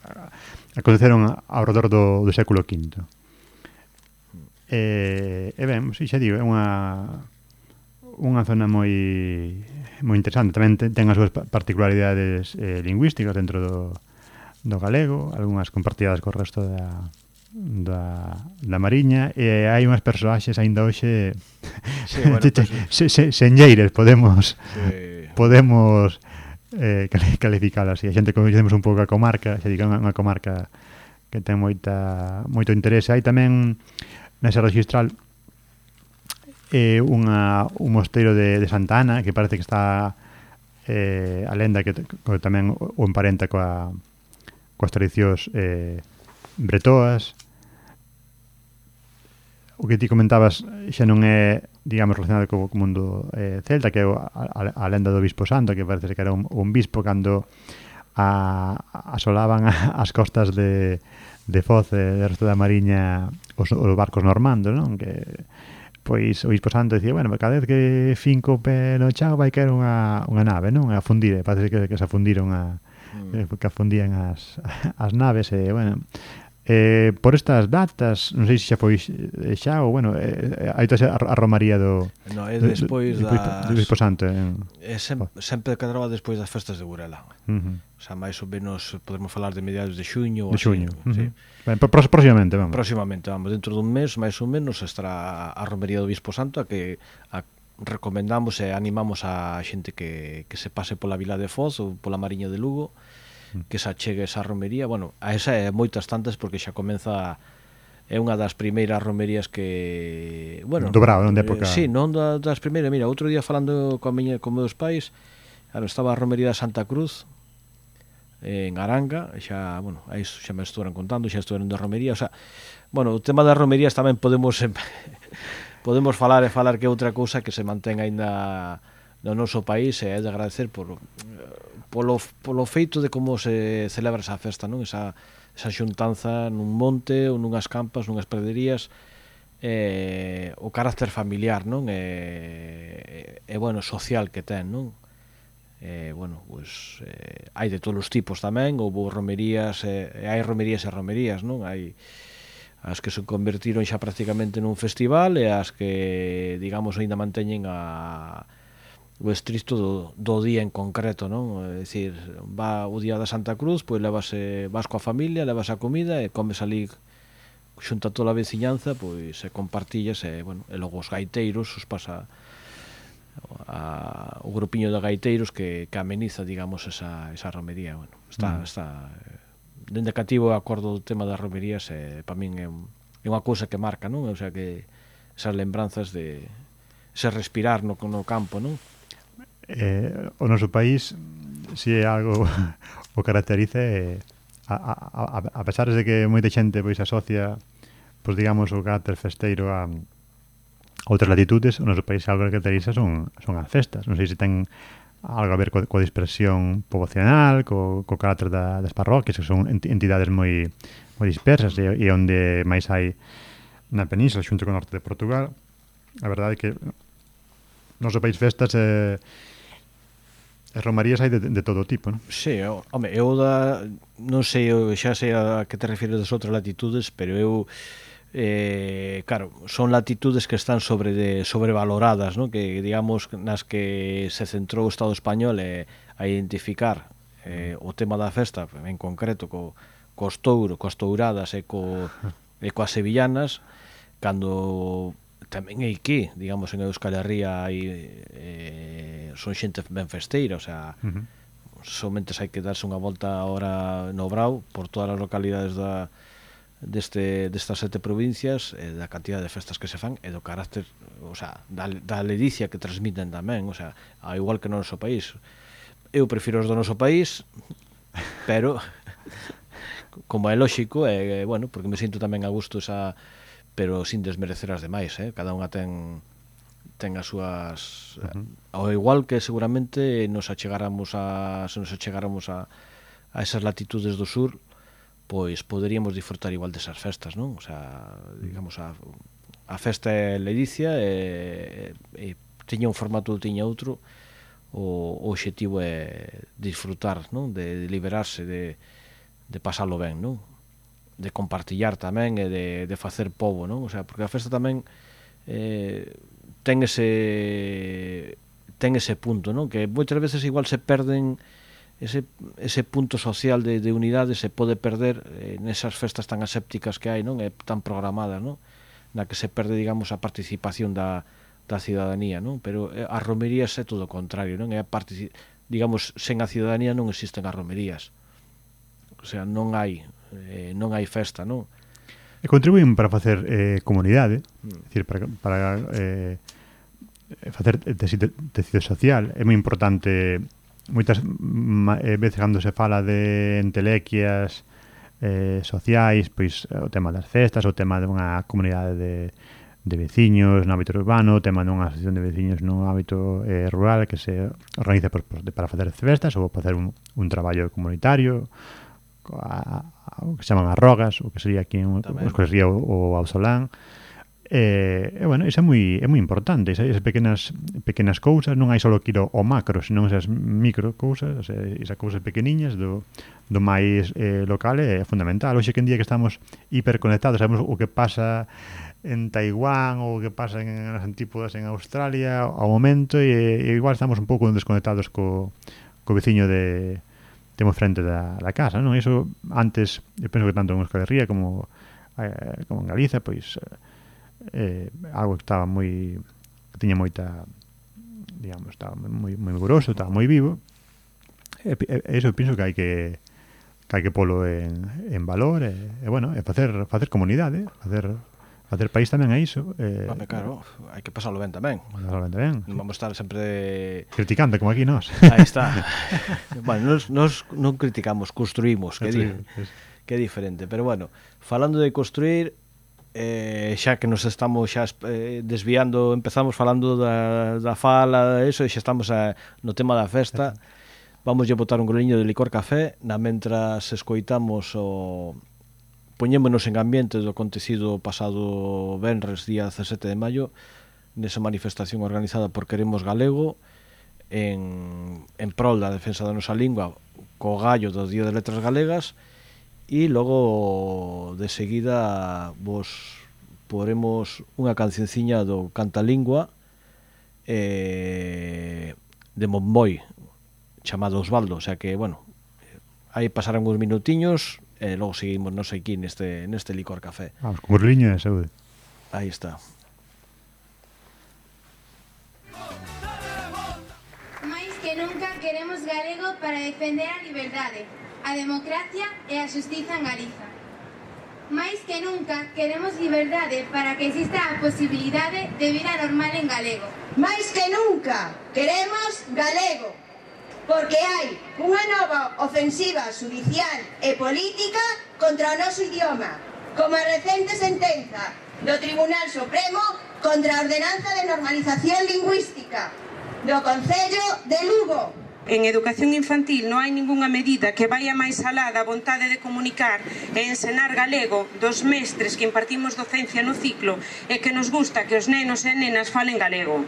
aconteceron ao redor do, do século quinto. E, e ben, si, xa digo, é unha unha zona moi moi interesante. Tamén ten, ten as súas particularidades eh, lingüísticas dentro do, do galego, algunhas compartidas co resto da da, da Mariña, e hai unhas persoaxes aínda hoxe sí, bueno, pues, se, se, senlleiras, podemos sí. podemos eh, calificala así. A xente coñecemos un pouco a comarca, xa digo, unha comarca que ten moita moito interese. Hai tamén nesa registral eh, unha, un mosteiro de, de Santa Ana que parece que está eh, a lenda que, que tamén o emparenta coa, coas tradicións eh, bretoas. O que ti comentabas xa non é, digamos, relacionado co, co mundo eh, celta, que é a, a, a lenda do Bispo Santo, que parece que era un, un bispo cando a, asolaban as costas de, de Foz e de resto da Mariña os, os barcos normandos, non? Que pois o Bispo Santo dicía, bueno, cada vez que finco o pé no chao vai caer unha, unha nave, non? A fundir, parece que, que se afundiron a, mm. que afundían as, as naves e, bueno, eh, por estas datas, non sei se xa foi xa ou, bueno, eh, hai toda a romaría do no, é despois do, das... do Bispo Santo en... é sempre, sempre cadraba despois das festas de Burela. Uh-huh. O sea, máis ou menos podemos falar de mediados de xuño de xuño, así, uh-huh. Sí. Ben, próximamente, vamos. Próximamente, vamos, dentro dun mes, máis ou menos, estará a romería do Bispo Santo, a que a, recomendamos e animamos a xente que, que se pase pola Vila de Foz ou pola Mariña de Lugo, que se achegue esa romería, bueno, a esa é moitas tantas porque xa comeza, é unha das primeiras romerías que, bueno, dobrado, non de época. Eh, sí, non da, das primeiras, mira, outro día falando coa miña, con meus pais, claro, estaba a romería de Santa Cruz en Aranga, xa, bueno, aí xa me estuveron contando, xa estuveron de romería, o sea, bueno, o tema das romerías tamén podemos podemos falar e falar que é outra cousa que se mantén aínda no noso país e é de agradecer por polo, polo feito de como se celebra esa festa, non? Esa, esa xuntanza nun monte ou nunhas campas, nunhas praderías, eh, o carácter familiar, non? E, e, bueno, social que ten, non? Eh, bueno, pues, eh, hai de todos os tipos tamén, houve romerías, e eh, hai romerías e romerías, non? Hai as que se convertiron xa prácticamente nun festival e as que, digamos, ainda manteñen a o estricto do, do día en concreto, non? É dicir, va o día da Santa Cruz, pois levase, vas coa familia, levas a comida e comes ali xunta toda a veciñanza, pois se compartillas e, bueno, e logo os gaiteiros, os pasa a, o grupiño de gaiteiros que, que ameniza, digamos, esa, esa romería, bueno, está, mm. está dende cativo acordo do tema das romerías e para min é, un, é unha cousa que marca, non? O sea que esas lembranzas de ese respirar no, no campo, non? Eh, o noso país si é algo o caracteriza eh, a, a, a pesar de que moita xente pois asocia pois digamos o carácter festeiro a outras latitudes, o noso país algo que caracteriza son, son as festas. Non sei se ten algo a ver co, coa dispersión poboacional, co, co carácter da, das parroquias, que son entidades moi, moi dispersas e, e onde máis hai na península xunto con o norte de Portugal. A verdade é que no noso país festas eh, e romarías hai de, de todo tipo, non? Sí, eu, home, eu da, non sei, eu xa sei a que te refires das outras latitudes, pero eu eh, claro, son latitudes que están sobre de, sobrevaloradas, non? Que digamos nas que se centrou o Estado español eh, a identificar eh, o tema da festa en concreto co, cos touro, coas touradas e, co, e coas sevillanas, cando tamén é aquí, digamos, en Euskal Herria hai, eh, son xente ben festeira, o sea, uh-huh. somente hai que darse unha volta ahora no Brao por todas as localidades da, deste, destas sete provincias, eh, da cantidad de festas que se fan e do carácter, o sea, da, da ledicia que transmiten tamén, o sea, ao igual que no noso país. Eu prefiro os do noso país, pero como é lóxico, é, eh, bueno, porque me sinto tamén a gusto esa, pero sin desmerecer as demais, eh? Cada unha ten ten as súas uh-huh. ao igual que seguramente nos achegáramos a se nos achegáramos a, a esas latitudes do sur, pois poderíamos disfrutar igual desas festas, non? O sea, digamos a, a festa é ledicia e, e tiña un formato ou tiña outro, o, o obxectivo é disfrutar, non? De, de liberarse, de, de pasalo ben, non? De compartillar tamén e de, de facer pobo, non? O sea, porque a festa tamén eh, ten ese ten ese punto, non? Que moitas veces igual se perden ese, ese punto social de, de unidade se pode perder eh, nesas festas tan asépticas que hai, non? E tan programadas, non? Na que se perde, digamos, a participación da, da cidadanía, non? Pero eh, as romerías é todo o contrario, non? É a partici- digamos, sen a ciudadanía non existen as romerías. O sea, non hai eh, non hai festa, non? E contribuín para facer eh, comunidade, Mm. é dicir, para, para eh, facer tecido, tecido social. É moi importante, moitas ma, eh, veces cando se fala de entelequias eh, sociais, pois o tema das festas, o tema de unha comunidade de, de veciños no ámbito urbano, o tema dunha asociación de veciños no ámbito eh, rural que se organiza por, por, para facer festas ou para facer un, un traballo comunitario, a, a, o que se chaman as rogas, o que sería aquí en, o que sería o, o Ausolán. E, eh, bueno, iso é moi é moi importante, esas, esas pequenas pequenas cousas, non hai só que ir ao macro, senón esas micro cousas, esas cousas pequeniñas do, do máis eh, local é fundamental. Hoxe que en día que estamos hiperconectados, sabemos o que pasa en Taiwán ou o que pasa en as antípodas en Australia ao momento, e, e igual estamos un pouco desconectados co, co veciño de temos frente da, da casa, non? Iso antes, eu penso que tanto en Euskal Herria como, eh, como en Galiza, pois eh, algo que estaba moi que tiña moita, digamos, estaba moi moi grosso, estaba moi vivo. E, e eso penso que hai que que hai que polo en, en valor e, e bueno, e facer facer comunidade, facer facer país tamén é iso. Eh, Vame, claro, hai que pasarlo ben tamén. Pasarlo ben tamén. Non vamos estar sempre criticando como aquí nós. Aí está. Bueno, nos, nos non criticamos, construímos, que, di, que é diferente. Pero bueno, falando de construir, eh, xa que nos estamos xa eh, desviando, empezamos falando da, da fala, eso, e xa estamos a, no tema da festa. Vamos a botar un groliño de licor café, na mentras escoitamos o... poñémonos en ambiente do acontecido pasado venres, día dezasete de maio, nesa manifestación organizada por Queremos Galego, en, en prol da defensa da nosa lingua, co gallo do Día de Letras Galegas, e logo de seguida vos poremos unha cancionciña do Cantalingua eh, de Monboi, chamado Osvaldo, o sea que, bueno, aí pasaron uns minutiños e logo seguimos, non sei aquí, neste, neste licor café. Vamos, con burliño de saúde. Aí está. Mais que nunca queremos galego para defender a liberdade, a democracia e a xustiza en Galiza. Mais que nunca queremos liberdade para que exista a posibilidade de vida normal en galego. Mais que nunca queremos galego, porque hai unha nova ofensiva judicial e política contra o noso idioma, como a recente sentenza do Tribunal Supremo contra a ordenanza de normalización lingüística do Concello de Lugo. En educación infantil non hai ningunha medida que vaya máis alá da vontade de comunicar e ensinar galego dos mestres que impartimos docencia no ciclo e que nos gusta que os nenos e nenas falen galego.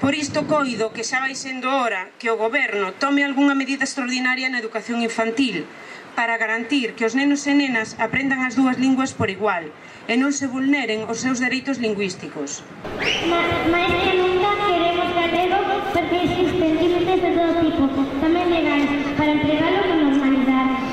Por isto coido que xa vai sendo hora que o goberno tome algunha medida extraordinaria na educación infantil para garantir que os nenos e nenas aprendan as dúas linguas por igual e non se vulneren os seus dereitos lingüísticos. Mais que nunca queremos galego porque existen límites de todo tipo, tamén legais, para empregalo con normalidade.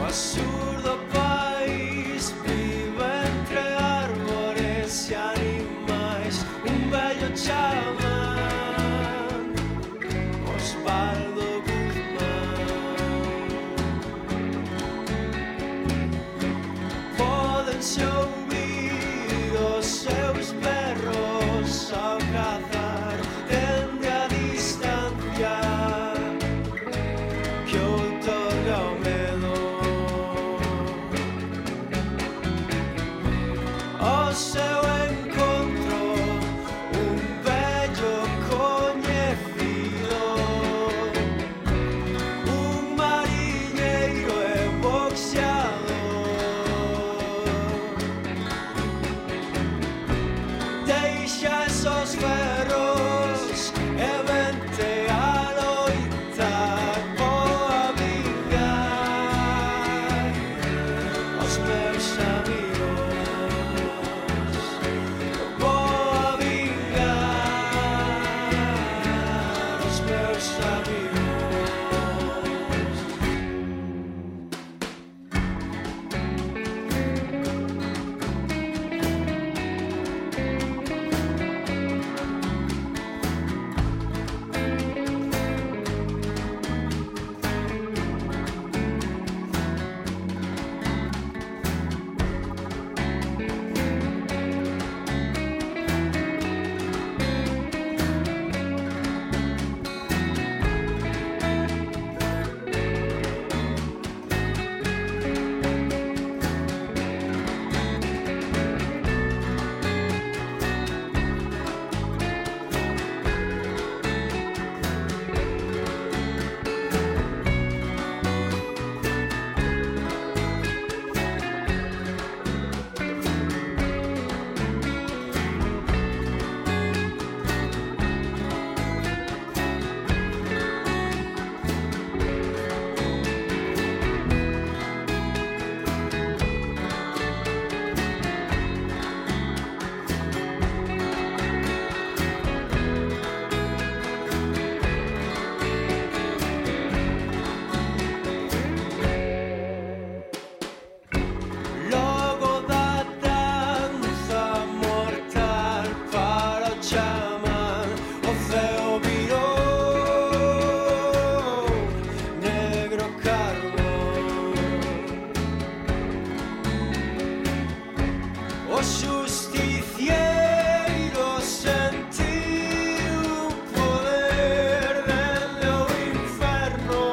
Absurdo país vive entre árbores e animais. Un vello chamán Osvaldo Guzmán. Pódense ouvir os seus perros ao cazar dende a distancia que outorga o medo. O seu encontro un vello coñecido, un mariñeiro e boxeador. meus amigos. Vou a vingar os meus amigos. Logo da danza mortal para o chamán, o ceo virou negro carbón. O justiciero sentiu un poder dende o inferno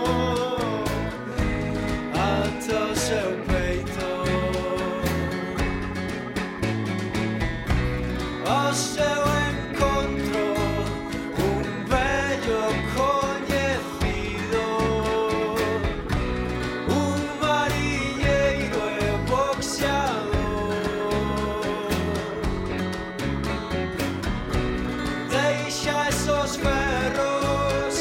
ata o seu peito. Ao seu encontro un vello coñecido, un mariñeiro e boxeador. Deixa esos ferros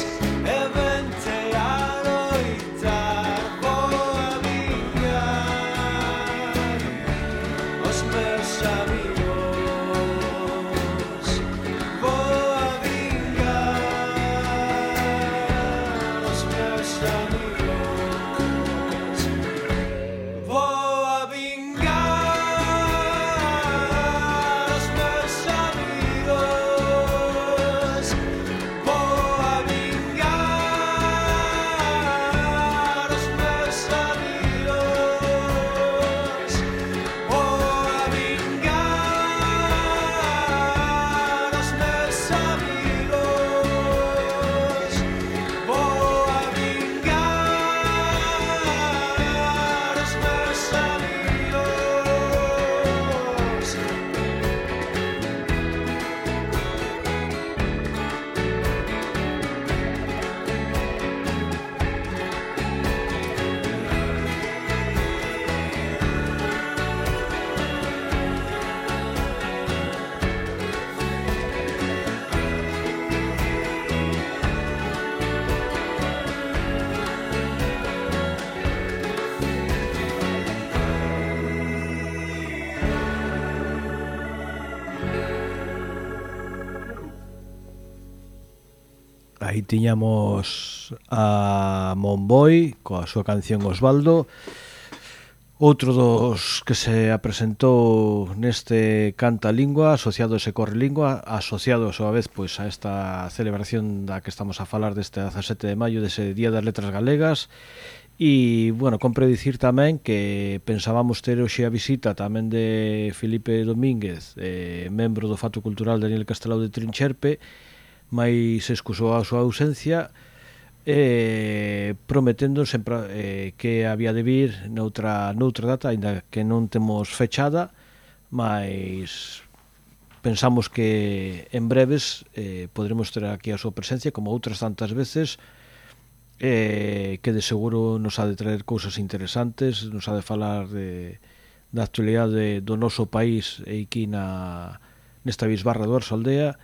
e vente a loitar. Vou a vingar os meus amigos. Vou a vingar os meus amigos. Vou a vingar os meus amigos. Vou a vingar os meus amigos. Vou a vingar os meus amigos. Vou a vingar os meus amigos. Aí tiñamos a Monboy coa súa canción Osvaldo, outro dos que se apresentou neste Canta Lingua, asociados e Corre Lingua, asociados a vez pois a esta celebración da que estamos a falar deste dezasete de maio, dese Día das Letras Galegas. E, bueno, compre dicir tamén que pensábamos ter hoxe a visita tamén de Felipe Domínguez, eh, membro do Fato Cultural Daniel Castelao de Trincherpe, mais excusou a súa ausencia, eh, prometendo sempre eh, que había de vir noutra, noutra data, ainda que non temos fechada, mas pensamos que en breves eh, podremos ter aquí a súa presencia, como outras tantas veces, eh, que de seguro nos ha de traer cousas interesantes, nos ha de falar de, da actualidade do noso país e aquí na, nesta bisbarra do Orzaldea,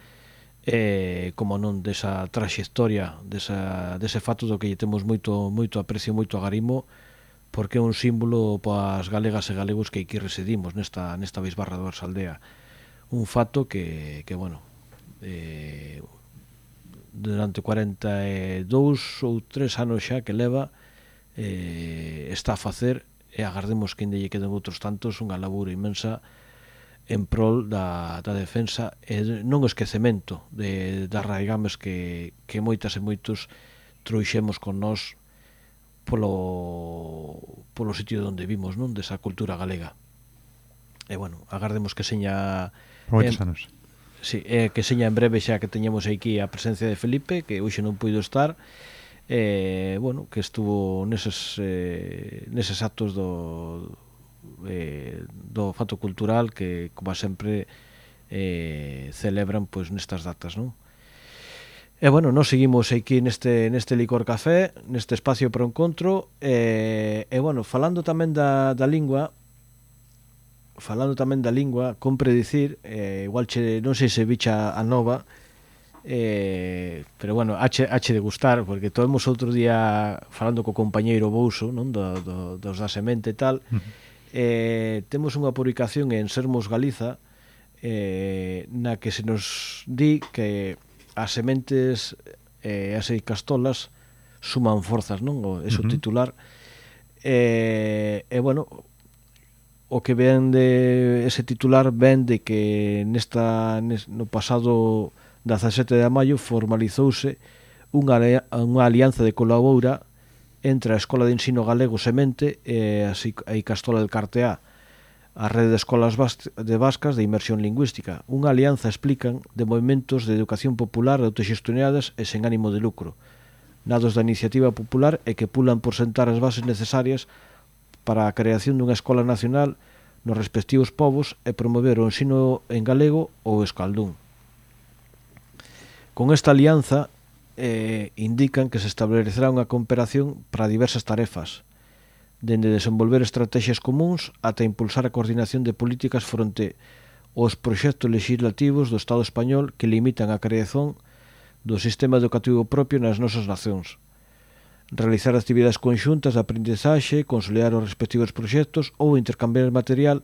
eh, como non desa traxectoria, desa, dese fato do que lle temos moito, moito aprecio, moito agarimo, porque é un símbolo para as galegas e galegos que aquí residimos nesta, nesta bisbarra do Orsaldea. Un fato que, que bueno, eh, durante cuarenta e dous ou tres anos xa que leva, eh, está a facer, e agardemos que ainda lle queden outros tantos, unha labura inmensa en prol da, da defensa e non o esquecemento de, das raigames que, que moitas e moitos trouxemos con nós polo, polo sitio onde vimos, non, desa cultura galega. E bueno, agardemos que seña moitos eh, anos. Sí, eh, que seña en breve xa que teñemos aquí a presencia de Felipe, que hoxe non puido estar, eh, bueno, que estuvo neses, eh, neses actos do, eh, do fato cultural que, como sempre, eh, celebran pois nestas datas, non? E, bueno, nós seguimos aquí neste, neste Licor Café, neste espacio para o encontro, e, e bueno, falando tamén da, da lingua, falando tamén da lingua, compre dicir, eh, igual che, non sei se bicha a nova, eh, pero bueno, hache, hache de gustar, porque tomemos outro día falando co compañeiro Bouso, non, do, do, dos da semente e tal, uh-huh. eh, temos unha publicación en Sermos Galiza, eh, na que se nos di que as sementes e eh, as castolas suman forzas, non? O, eso uh-huh. titular. E, eh, eh, bueno, o que ven de ese titular ven de que nesta no pasado dezasete de maio formalizouse unha, unha alianza de colabora entre a Escola de Ensino Galego Semente e a Icastola del Carteá, a rede de escolas de vascas de inmersión lingüística. Unha alianza, explican, de movimentos de educación popular autoxestionadas e sen ánimo de lucro, nados da iniciativa popular e que pulan por sentar as bases necesarias para a creación dunha escola nacional nos respectivos povos e promover o ensino en galego ou escaldún. Con esta alianza eh, indican que se establecerá unha cooperación para diversas tarefas, dende desenvolver estrategias comuns ata impulsar a coordinación de políticas fronte aos proxectos legislativos do Estado español que limitan a creación do sistema educativo propio nas nosas nacións. Realizar actividades conxuntas de aprendizaxe, consolidar os respectivos proxectos ou intercambiar material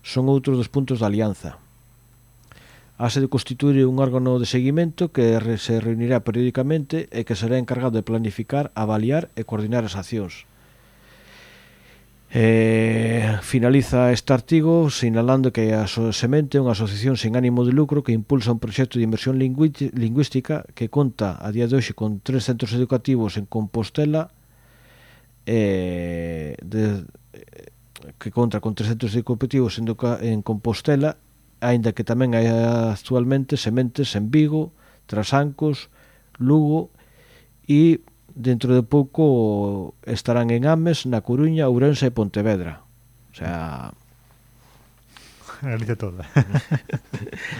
son outros dos puntos da alianza. Hase de constituir un órgano de seguimento que se reunirá periódicamente e que será encargado de planificar, avaliar e coordinar as accións. Eh, finaliza este artigo sinalando que a Semente é unha asociación sen ánimo de lucro que impulsa un proxecto de inversión lingüística que conta a día de hoxe con tres centros educativos en Compostela, eh, de, que conta con tres centros educativos en, en Compostela, aínda que tamén hai actualmente sementes en Vigo, Trasancos, Lugo e dentro de pouco estarán en Ames, na Coruña, Ourense e Pontevedra. O sea, Galicia toda.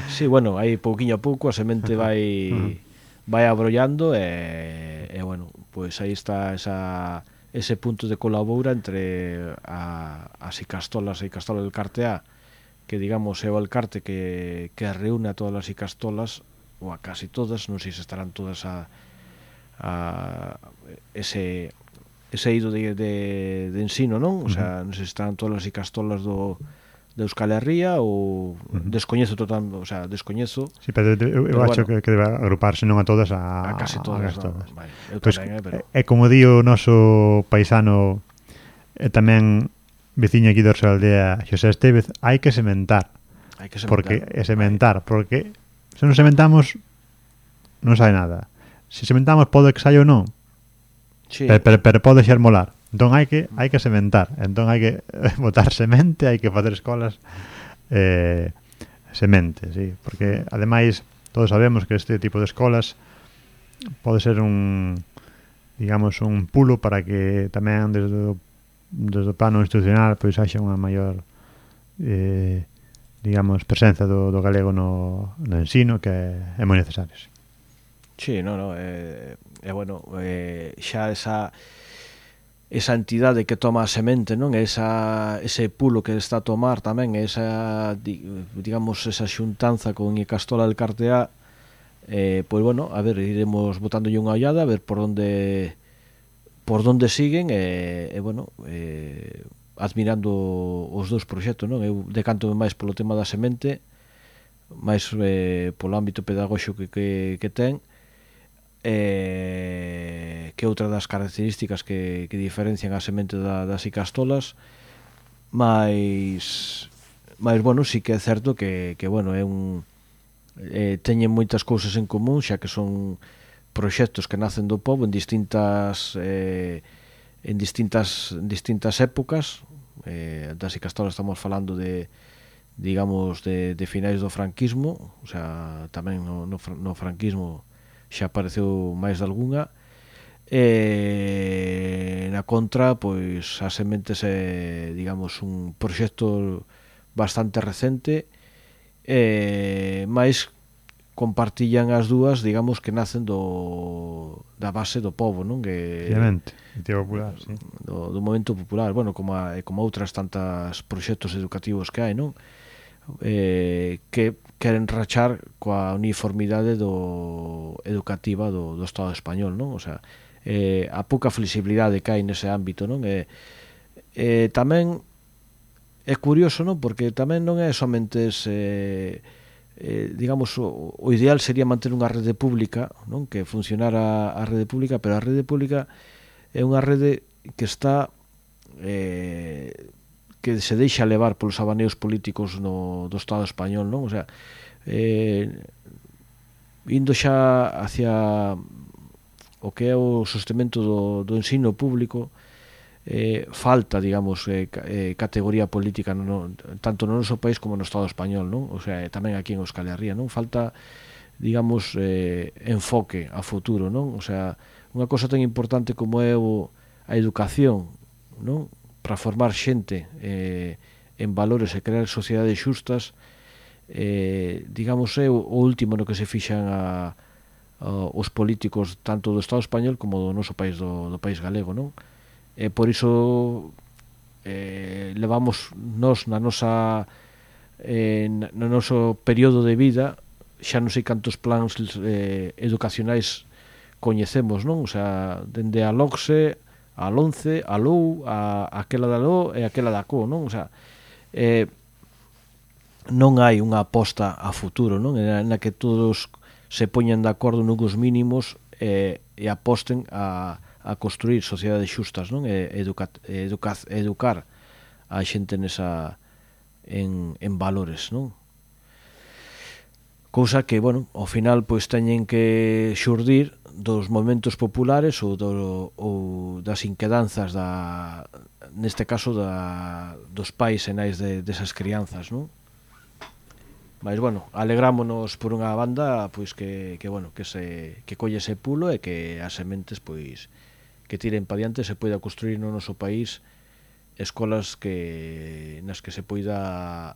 Sí, bueno, aí pouquiño a pouco a semente vai vai abrollando e, e bueno, pois pues aí está esa, ese punto de colabora entre a, as Icastolas e Icastola del Carteá, que digamos é o alcarte que, que reúne a todas as Icastolas, ou a casi todas, non sei se estarán todas a, a ese ese eido de, de, de ensino, non? O sea, non sei se estarán todas as Icastolas do de Euskal Herria ou uh-huh. descoñezo total, o sea, descoñezo. Sí, pero eu, eu acho bueno, que, que debe agruparse non a todas a, a casi todas, a no, vale, eu pues, tamén, eh, pero é como di o noso paisano e tamén veciño aquí de Orsaldea, Xosé Estevez, hai que sementar. Hai que sementar. Porque é sementar, vale. Porque se non sementamos non sai nada. Se sementamos pode que saia ou non. Sí. Pero, pero, pero pode xermolar. Entón hai que hai que sementar. Entón hai que botar semente, hai que facer escolas eh, semente, sí, porque ademais todos sabemos que este tipo de escolas pode ser un digamos un pulo para que tamén desde o desde o plano institucional pois haxa unha maior eh, digamos presenza do, do galego no, no ensino, que é moi necesario. Sí, sí no, no, é, é bueno, eh, xa esa esa entidade que toma a semente, non? Esa, ese pulo que está a tomar tamén, esa, digamos, esa xuntanza con Icastola del Carteá, eh, pois bueno, a ver, iremos botándolle unha ollada, a ver por onde por donde siguen e, e bueno, eh, admirando os dous proxectos, non? Eu decanto máis polo tema da semente, máis eh, polo ámbito pedagóxico que, que, que ten, eh, que outra das características que, que diferencian a semente da, das icastolas, máis, máis, bueno, sí que é certo que, que bueno, é un, eh, teñen moitas cousas en común, xa que son proxectos que nacen do pobo en distintas eh, en distintas en distintas épocas. Eh, das icastolas estamos falando de, digamos, de, de finais do franquismo, o sea, tamén no, no, no franquismo xa apareceu máis de algunha. E na contra, pois as sementes é, digamos, un proxecto bastante recente, e máis compartillan as dúas, digamos, que nacen do da base do pobo, non? Que obviamente, popular, sí. do, do movimento popular, bueno, como a, como outras tantas proxectos educativos que hai, non? Eh, que queren rachar coa uniformidade do educativa do, do Estado español, non? O sea, eh, a pouca flexibilidade que hai nese ámbito, non? Eh, eh, tamén é curioso, non? Porque tamén non é somente ese, eh, digamos, o, o ideal sería manter unha rede pública, non? Que funcionara a rede pública, pero a rede pública é unha rede que está eh, que se deixa levar polos abaneos políticos no, do Estado español, non? O sea, eh, indo xa hacia o que é o sostemento do, do ensino público, eh, falta, digamos, eh, eh, categoría política no, tanto no noso país como no Estado español, non? O sea, tamén aquí en Euskal Herria, non? Falta, digamos, eh, enfoque a futuro, non? O sea, unha cosa tan importante como é o, a educación, non? Para formar xente eh, en valores e crear sociedades xustas, eh, digamos, é o, o último no que se fixan a, a, os políticos tanto do Estado español como do noso país, do, do país galego, non? E por iso eh, levamos nos na nosa eh, no noso período de vida, xa non sei cantos plans eh, educacionais coñecemos, non? O sea, dende a LOCSE, a LONCE, a LOU, a aquela da LO e aquela da CO, non? O sea, eh, non hai unha aposta a futuro, non? Na que todos se poñan de acordo nuns mínimos eh, e aposten a a construir sociedades xustas, non? E educa, educa, educar a xente nesa en, en valores, non? Cousa que, bueno, ao final pois teñen que xurdir dos movementos populares ou, do, ou das inquedanzas da, neste caso da, dos pais e nais de, desas crianzas, non? Mas, bueno, alegrámonos por unha banda pois que, que bueno, que se que colle ese pulo e que as sementes pois que tiren pa diante, se poida construir no noso país escolas que nas que se poida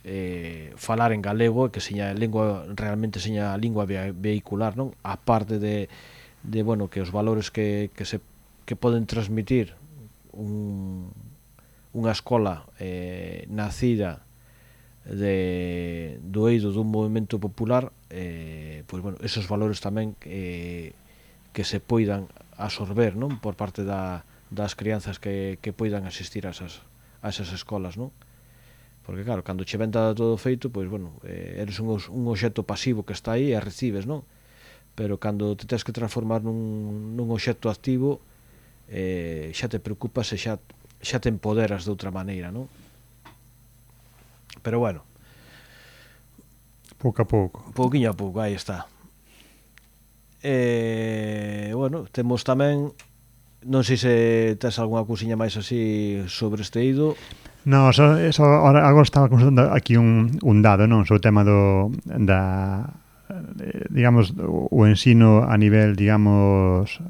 eh, falar en galego, que seña lengua realmente seña a lingua vehicular, non? A parte de, de bueno, que os valores que, que se que poden transmitir un, unha escola eh, nacida de, do eido dun movimento popular, eh, pois, bueno, esos valores tamén eh, que se poidan absorber, non? Por parte da, das crianzas que, que poidan asistir a esas, a esas escolas, non? Porque, claro, cando che ven todo feito, pois, bueno, eh, eres un, un obxecto pasivo que está aí e recibes, non? Pero cando te tens que transformar nun, nun obxecto activo, eh, xa te preocupas e xa, xa te empoderas de outra maneira, non? Pero, bueno, pouco a pouco. Pouquiño a pouco, aí está. E, bueno, temos tamén, non sei se tes algunha cousiña máis así sobre este eido. No, so, so, ahora, agora estaba consultando aquí un, un dado, non? Sobre o tema do da, digamos, o ensino a nivel, digamos,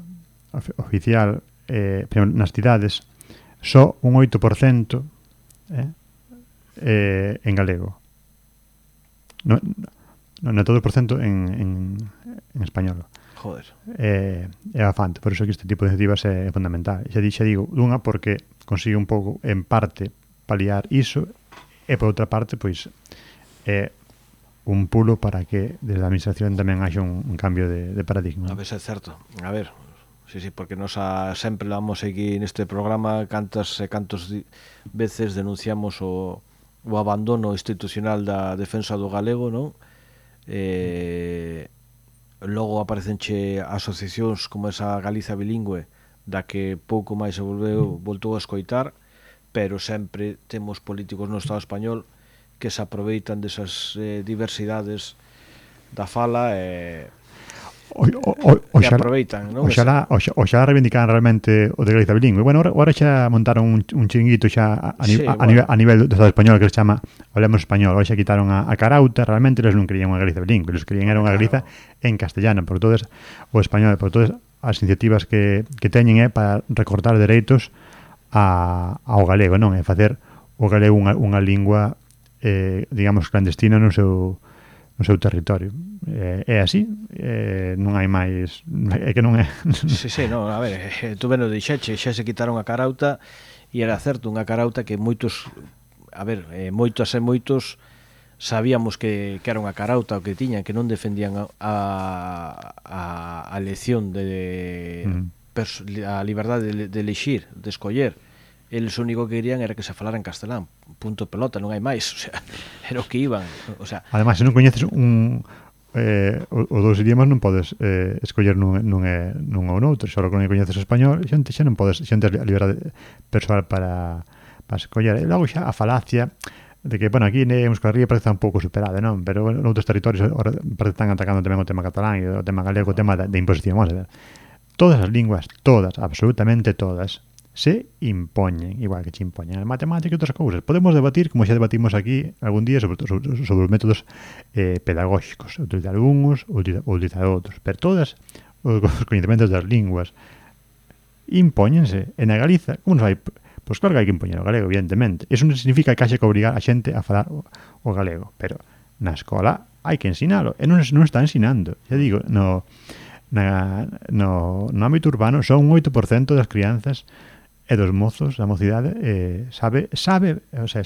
oficial eh, nas cidades, só un oito por cento eh, eh, en galego. No, no, no todo por cento en, en, en español. Joder. É, é bastante, por iso que este tipo de iniciativas é fundamental. Xa, xa digo, dunha porque consigue un pouco, en parte, paliar iso, e por outra parte, pois, é un pulo para que desde a administración tamén haxa un, un cambio de, de paradigma. A ver se é certo. A ver, sí, sí, porque nos a, sempre vamos aquí neste programa cantas e cantos di, veces denunciamos o, o abandono institucional da defensa do galego, non? Eh, logo aparecenche asociacións como esa Galiza Bilingüe, da que pouco máis se volveu, voltou a escoitar, pero sempre temos políticos no Estado español que se aproveitan desas eh, diversidades da fala e, o, o, o, e aproveitan, non? Oxalá, oxalá, oxalá reivindicaran realmente o de Galiza Bilingüe. Bueno, ahora xa montaron un, un chinguito xa a, a, sí, a, a, bueno. nivel, a nivel do Estado español que se chama Hablemos Español. Ahora xa quitaron a, a Carauta, realmente eles non querían unha Galiza Bilingüe, eles querían era unha Galiza claro. en castellano, por todas o español, por todas as iniciativas que, que teñen é para recortar dereitos a, ao galego, non? É facer o galego unha, unha lingua eh, digamos clandestina no seu no seu territorio. Eh, é así, eh, non hai máis, é que non é. Sí, sí, no, a ver, eh, tú ben o dixeche, xa se quitaron a Carauta e era certo, unha Carauta que moitos, a ver, eh, moitos e moitos sabíamos que, que era unha Carauta o que tiñan, que non defendían a a, a elección de, mm. a liberdade de, de elixir, de escoller. Eles o único que querían era que se falara en castelán, punto pelota, non hai máis, o sea, era o que iban, o sea. Ademais, se non coñeces un eh, o, o dos idiomas non podes eh, escoller nun, nun, é, nun ou noutro, só que non coñeces o español, xente xa non podes, xente a liberdade persoal para, para escoller. E logo xa a falacia de que, bueno, aquí en Euskal Herria parece un pouco superada, non? Pero en outros territorios parece que están atacando tamén o tema catalán e o tema galego, o tema de, de imposición, vamos a ver. Todas as linguas, todas, absolutamente todas, se impoñen, igual que se impoñen a matemática e outras cousas. Podemos debatir, como xa debatimos aquí algún día, sobre, sobre, sobre os métodos eh, pedagóxicos, utilizar uns ou utilizar outros, pero todas os coñecementos das linguas impóñense. En a Galiza, como nos vai? Pois claro que hai que impoñer o galego, evidentemente. Eso non significa que haxe que obrigar a xente a falar o, o galego, pero na escola hai que ensinalo, e non, non está ensinando. Xa digo, no, na, no, no ámbito urbano son un oito por cento das crianzas e dos mozos da mocidade eh, sabe, sabe, o sea,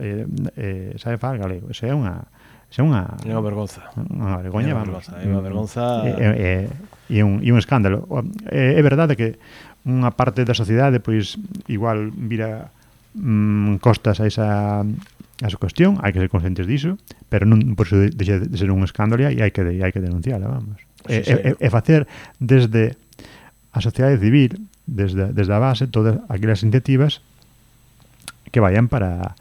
eh, eh, sabe falar galego. Eso é unha é unha é unha vergonza. Unha vergoña, é unha vergonza, é unha vergonza. E é un e un escándalo. É, é verdade que unha parte da sociedade pois igual vira mm, costas a esa a esa cuestión, hai que ser conscientes diso, pero non por iso deixa de ser un escándalo e hai que e hai que denunciala, vamos. Sí, sí. E, e, e facer desde a sociedade civil, desde, desde a base, todas aquelas iniciativas que vayan para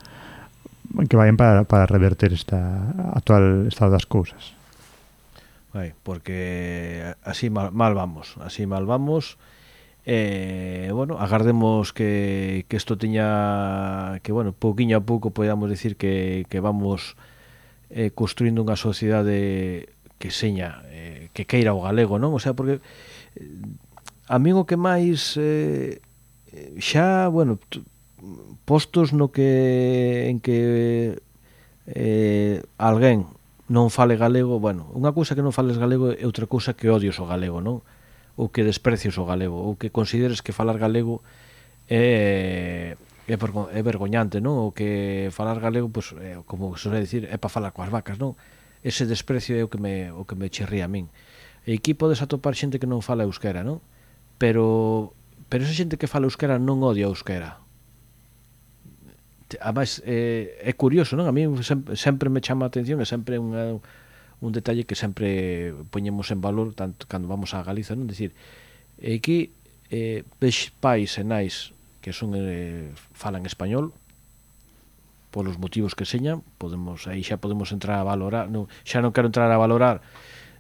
que vayan para, para reverter esta actual estado das cousas. Vai, porque así mal, mal vamos, así mal vamos. Eh, bueno, agardemos que que isto teña que, bueno, pouquiño a pouco podamos decir que, que vamos eh, construindo unha sociedade que seña, eh, que queira o galego, non? O sea, porque eh, a min o que máis eh, xa, bueno, postos no que en que eh, alguén non fale galego, bueno, unha cousa que non fales galego é outra cousa que odios o galego, non? Ou que desprecios o galego, ou que consideres que falar galego é é, é vergoñante, non? Ou que falar galego, pues, é, como se suele dicir, é para falar coas vacas, non? Ese desprecio é o que me, o que me chirría a min. E aquí podes atopar xente que non fala euskera, non? Pero pero esa xente que fala euskera non odia a euskera. Ademais, é, é curioso, non? A mí sempre, sempre me chama a atención, é sempre unha, un detalle que sempre poñemos en valor tanto cando vamos a Galiza, non? Decir, aquí eh, ves pais e nais que son eh, falan español polos motivos que señan, podemos aí xa podemos entrar a valorar, non, xa non quero entrar a valorar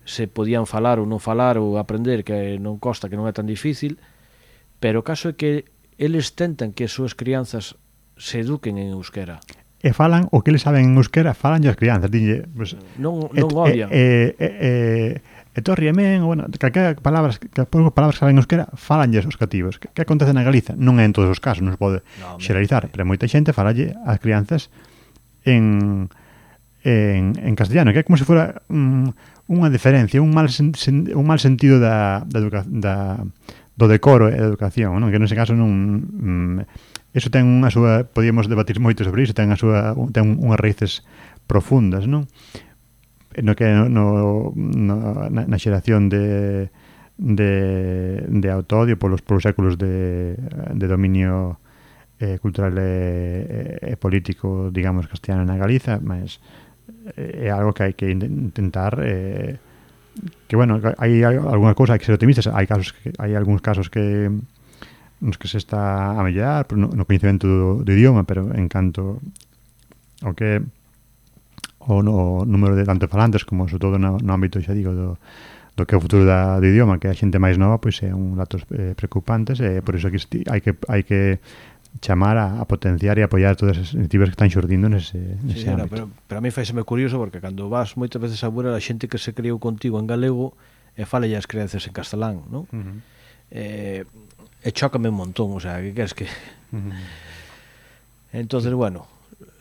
se podían falar ou non falar ou aprender, que non costa, que non é tan difícil, pero o caso é que eles tentan que as súas crianzas se eduquen en euskera. E falan o que eles saben en euskera, falan as crianzas, dille, pues, non, non et, odian. E, e, e, e torriemen, bueno, calquera palabras, que pouco palabras que saben en euskera, falanlles os cativos. Que, que acontece na Galiza? Non é en todos os casos, non se pode no, xeralizar, pero moita xente falalle ás crianzas en en, en castellano, que é como se fora um, unha diferencia, un mal sen, sen, un mal sentido da, da, educa, da do decoro e da educación, non? Que nese caso non um, eso ten unha súa, podíamos debatir moito sobre iso, ten a súa ten unhas raíces profundas, non? No que no, no na, na xeración de de, de autoodio polos, polos séculos de, de dominio eh, cultural e, e político, digamos, castellano na Galiza, mas é algo que hai que intentar eh, que, bueno, hai algunhas cousas, hai que ser optimistas, hai casos que, hai algúns casos que nos que se está a mellorar no, no coñecemento do, do idioma, pero en canto ao que o no número de tanto falantes como sobre todo no, no ámbito, xa digo, do, do que é o futuro da, do idioma, que a xente máis nova, pois é un datos eh, preocupantes, e por iso que hai que hai que chamar a, a potenciar e apoiar todas as iniciativas que están xurdindo nese, nese sí, ámbito. Pero, pero a mí faiseme curioso porque cando vas moitas veces a ver a xente que se criou contigo en galego e fala as creencias en castelán, non? Uh-huh. Eh, e chócame un montón, o sea, que queres que... Uh-huh. Entonces, bueno,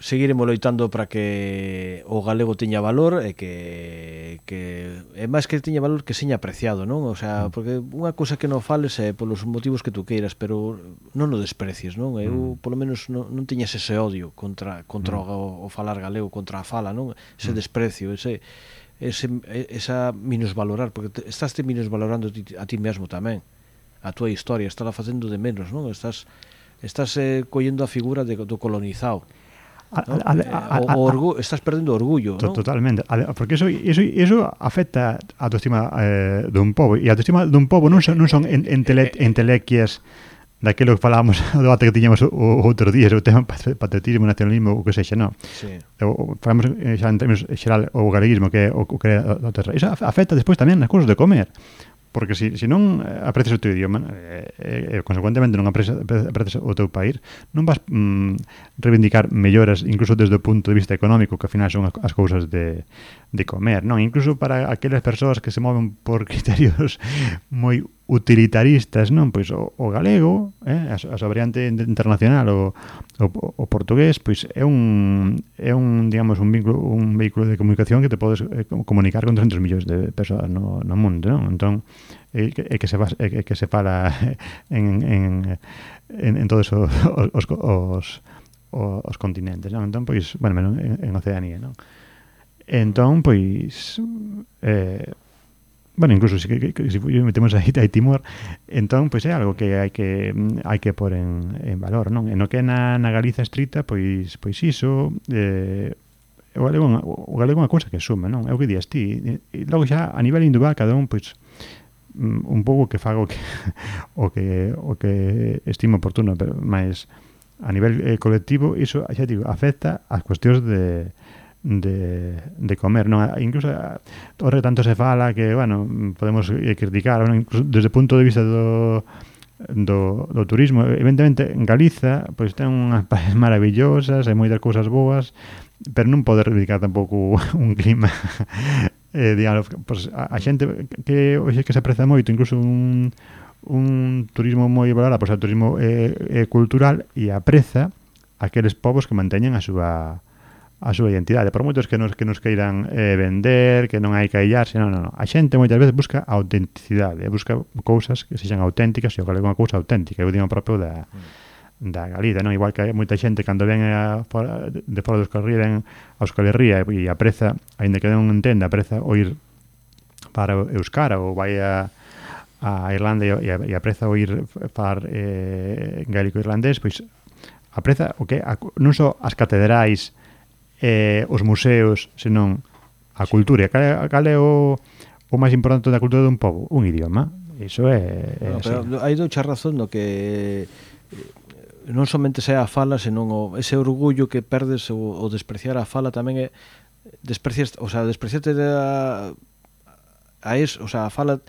seguiremos loitando para que o galego teña valor e que, que é máis que teña valor que seña apreciado, non? O sea, porque unha cousa que non fales é polos motivos que tú queiras, pero non o desprecies, non? Eu, polo menos, non, non teñas ese odio contra, contra o, o falar galego, contra a fala, non? Ese desprecio, ese, ese, esa minusvalorar, porque te, estás te minusvalorando a ti mesmo tamén, a túa historia, estás facendo de menos, non? Estás, estás eh, collendo a figura de, do colonizado. ¿no? A, a, a, o, o orgu estás perdendo orgullo, ¿no? Totalmente, porque eso eso eso afecta a autoestima eh, dun pobo, e a autoestima dun pobo non son non son entele, entelequias daquilo que falábamos do debate que tiñamos o, o outro día, o tema patriotismo, nacionalismo, o que sexa, non? Sí. O, falamos xa en termos xeral o galeguismo, que é o, o que é a terra. Eso afecta despois tamén nas cousas de comer. Porque se si, si non aprecias o teu idioma e, e, e consecuentemente non aprecias, aprecias o teu país, non vas mm, reivindicar melloras incluso desde o punto de vista económico, que ao final son as, as cousas de, de comer, non? Incluso para aquelas persoas que se moven por criterios moi utilitaristas, non? Pois o, o galego, eh, a, a súa variante internacional, o, o, o portugués, pois é un é un, digamos, un vínculo, un vehículo de comunicación que te podes eh, comunicar con trescentos millóns de persoas no, no mundo, non? Entón, é que, é que se é que se fala en en en, en todos os os, os os continentes, non? Entón, pois, bueno, en, en Oceanía, non? Entón, pois eh bueno, incluso si, que, que, si metemos aí, aí Timor, entón, pois é algo que hai que hai que pôr en, en valor, non? E no que é na, na Galiza estrita, pois pois iso, eh, o galego, o galego é unha cousa que suma, non? É o que días ti. E, e logo xa, a nivel individual, cada un, pois, un pouco que faga o que o que, o que estimo oportuno, pero máis a nivel eh, colectivo, iso, xa digo, afecta as cuestións de de, de comer, non? Incluso ora tanto se fala que, bueno, podemos criticar, bueno, incluso desde o punto de vista do do, do turismo, evidentemente en Galiza pois ten unhas praias maravillosas e moitas cousas boas, pero non pode reivindicar tampouco un clima eh, digamos, pois, a, a xente que hoxe que se aprecia moito, incluso un un turismo moi valorado, pois o turismo eh, eh, cultural, e apreza aqueles povos que manteñen a súa a súa identidade, por moitos que nos que nos queiran eh, vender, que non hai que aillarse, non, non, non. A xente moitas veces busca autenticidade, busca cousas que sexan auténticas, e o galego é unha cousa auténtica, é o idioma propio da, da Galiza, non? Igual que moita xente cando ven a, fora, de fora dos Euskal Herria, ven a Euskal Herria e apreza, aínda que non entenda, apreza oír para Euskara ou vai a, a Irlanda e, e apreza oír falar eh, gaélico irlandés, pois apreza o que a, non só as catedrais, eh, os museos, senón a cultura. Cal, cal é o, o máis importante da cultura dun pobo? Un idioma. Iso é... é no, pero hai doucha razón no que non somente sea a fala, senón o, ese orgullo que perdes o, o despreciar a fala tamén é desprecias, o sea, despreciarte a, a eso, o sea, a fala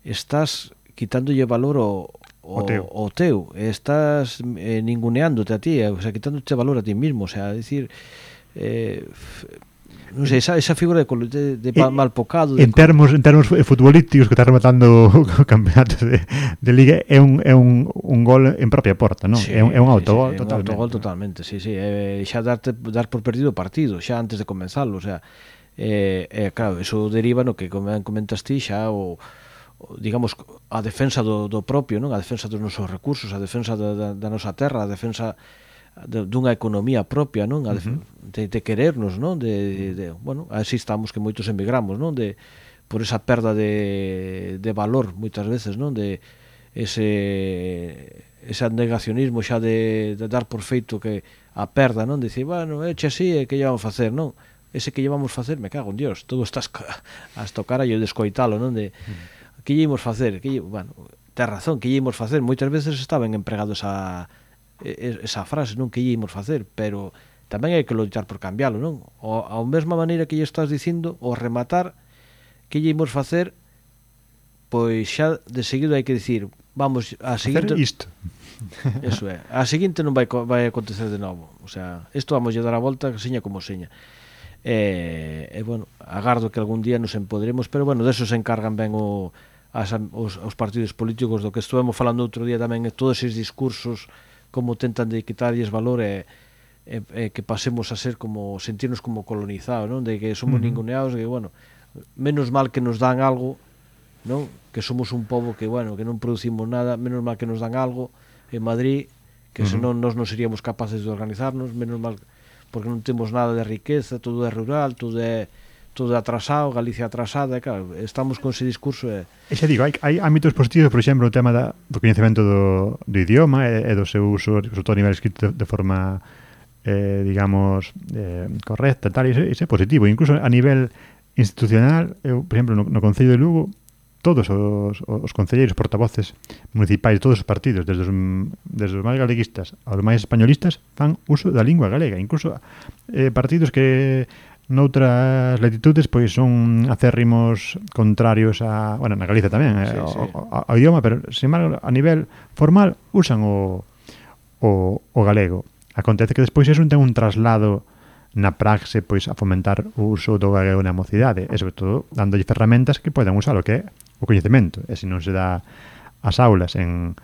estás quitándolle valor ao o, o teu, o teu. Estás eh, ninguneándote a ti, o sea, quitándote valor a ti mismo, o sea, decir eh, non sei, esa, esa figura de, de, de e, mal pocado de en termos en termos futbolísticos que está rematando o campeonato de, de Liga é un, é un, un gol en propia porta, non? Sí, é un, é un autogol, sí, sí, totalmente. Un autogol totalmente, sí, sí, é, xa darte, dar por perdido o partido xa antes de comenzarlo, o sea, eh, eh, claro, eso deriva no que comentas ti xa o digamos, a defensa do, do propio, non? A defensa dos nosos recursos, a defensa da, da, da nosa terra, a defensa de, dunha economía propia, non? A de, uh-huh. de, de querernos, non? De, de, de, bueno, así estamos que moitos emigramos, non? De, por esa perda de, de valor moitas veces, non? De ese ese negacionismo xa de, de dar por feito que a perda, non? Dicir, bueno, eche así, e que lle vamos facer, non? Ese que lle vamos facer, me cago en Dios, todo estás hasta o carallo de escoitalo, non? De, mm. que lle imos facer? Que lle, bueno, ten razón, que lle imos facer? Moitas veces está ben empregado esa, esa frase, non? Que lle imos facer, pero tamén hai que loitar por cambialo, non? O, a mesma maneira que lle estás dicindo, o rematar, que lle imos facer, pois xa de seguido hai que dicir, vamos, a seguinte... Facer isto. Eso é, a seguinte non vai, vai acontecer de novo, o sea, isto vamos a dar a volta, seña como seña. E, e bueno, agardo que algún día nos empoderemos, pero bueno, deso se encargan ben o, as, os, os partidos políticos, do que estuvemos falando outro día tamén, todos esses discursos, como tentan de quitarlles valor e E, e que pasemos a ser como, sentirnos como colonizados, non? De que somos uh-huh. ninguneados, de que, bueno, menos mal que nos dan algo, non? Que somos un pobo que, bueno, que non producimos nada, menos mal que nos dan algo en Madrid, que uh-huh. senón nós non seríamos capaces de organizarnos, menos mal, porque non temos nada de riqueza, todo é rural, todo é todo atrasado, Galicia atrasada, e claro, estamos con ese discurso e... E xa digo, hai, hai ámbitos positivos, por exemplo, o tema da, do coñecemento do, do idioma e, e do seu uso, sobre todo a nivel escrito, de, de forma... Eh, digamos, eh, correcta, tal, e iso é positivo. Incluso a nivel institucional, eu, por exemplo, no, no Concello de Lugo, todos os, os concelleiros, portavoces municipais de todos os partidos, desde os, desde os máis galeguistas aos máis españolistas, fan uso da lingua galega. Incluso eh, partidos que noutras latitudes pois son acérrimos contrarios a, bueno, na Galicia tamén, sí, eh, sí. Ao, ao idioma, pero sin embargo, a nivel formal usan o, o, o galego. Acontece que despois eso ten un traslado na praxe pois a fomentar o uso do galego na mocidade e sobre todo dándolle ferramentas que podan usar o que é o coñecemento, e se non se dá as aulas en,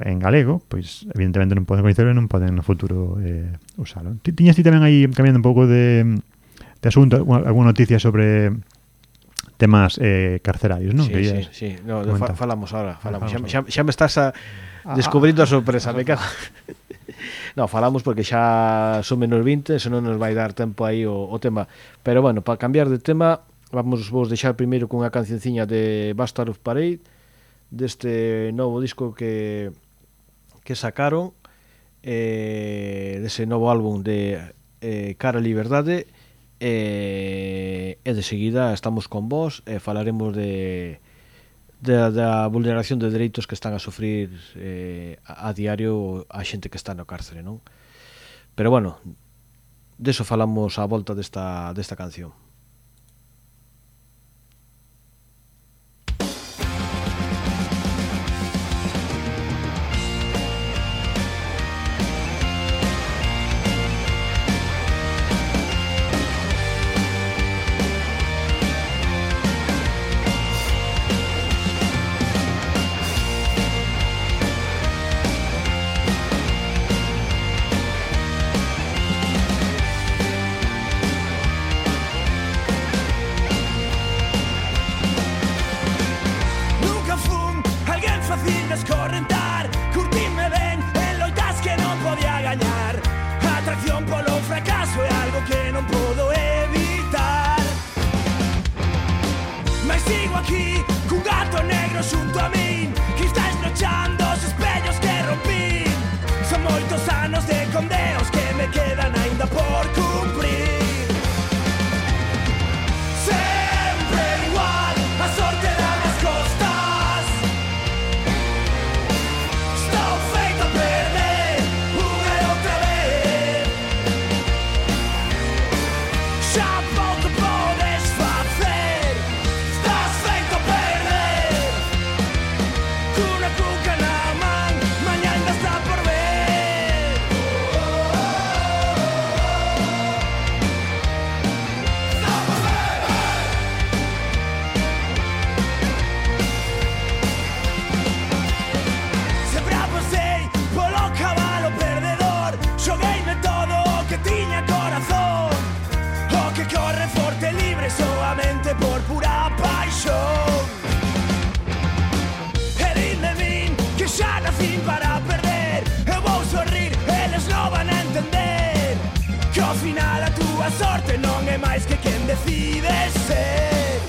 en galego, pois evidentemente non poden coñecelo e non poden no futuro eh, usalo. Tiñas ti tamén aí cambiando un pouco de, de asunto, alguna noticia sobre temas eh, carcerarios, non? Sí, sí, sí, no, fa, falamos ahora, falamos. Xa, xa, xa me estás a, descubrindo a sorpresa, me cago. No, falamos porque xa son menos vinte, se non nos vai dar tempo aí o, o tema. Pero bueno, para cambiar de tema, vamos vos deixar primeiro cunha cancionciña de Bastard of Parade, deste novo disco que que sacaron, eh, dese novo álbum de eh, Cara a Liberdade, e, e de seguida estamos con vos e falaremos de Da, da vulneración de dereitos que están a sufrir eh, a, a diario a xente que está no cárcere, non? Pero bueno, deso falamos á volta desta, desta canción. Ao final a túa sorte non é máis que quen decide ser.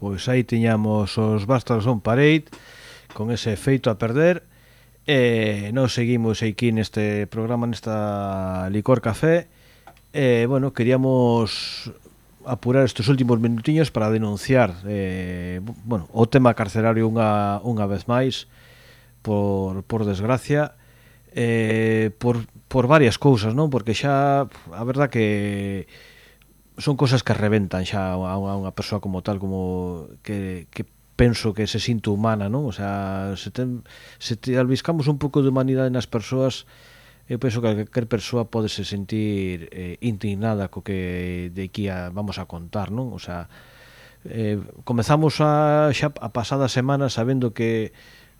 pois aí tiñamos os Bastards on Parade con ese feito a perder. E nos seguimos aquí neste programa, nesta Licor Café. E, bueno, queríamos apurar estes últimos minutiños para denunciar eh, bueno, o tema carcerario unha, unha vez máis, por, por desgracia, eh, por, por varias cousas, non? Porque xa, a verdad que son cousas que reventan xa a unha, unha persoa como tal, como que, que penso que se sinto humana, non? O sea, se, ten, se te albiscamos un pouco de humanidade nas persoas, eu penso que calquer persoa pode se sentir eh, indignada co que de aquí a, vamos a contar, non? O sea, eh, comezamos a, xa a pasada semana sabendo que,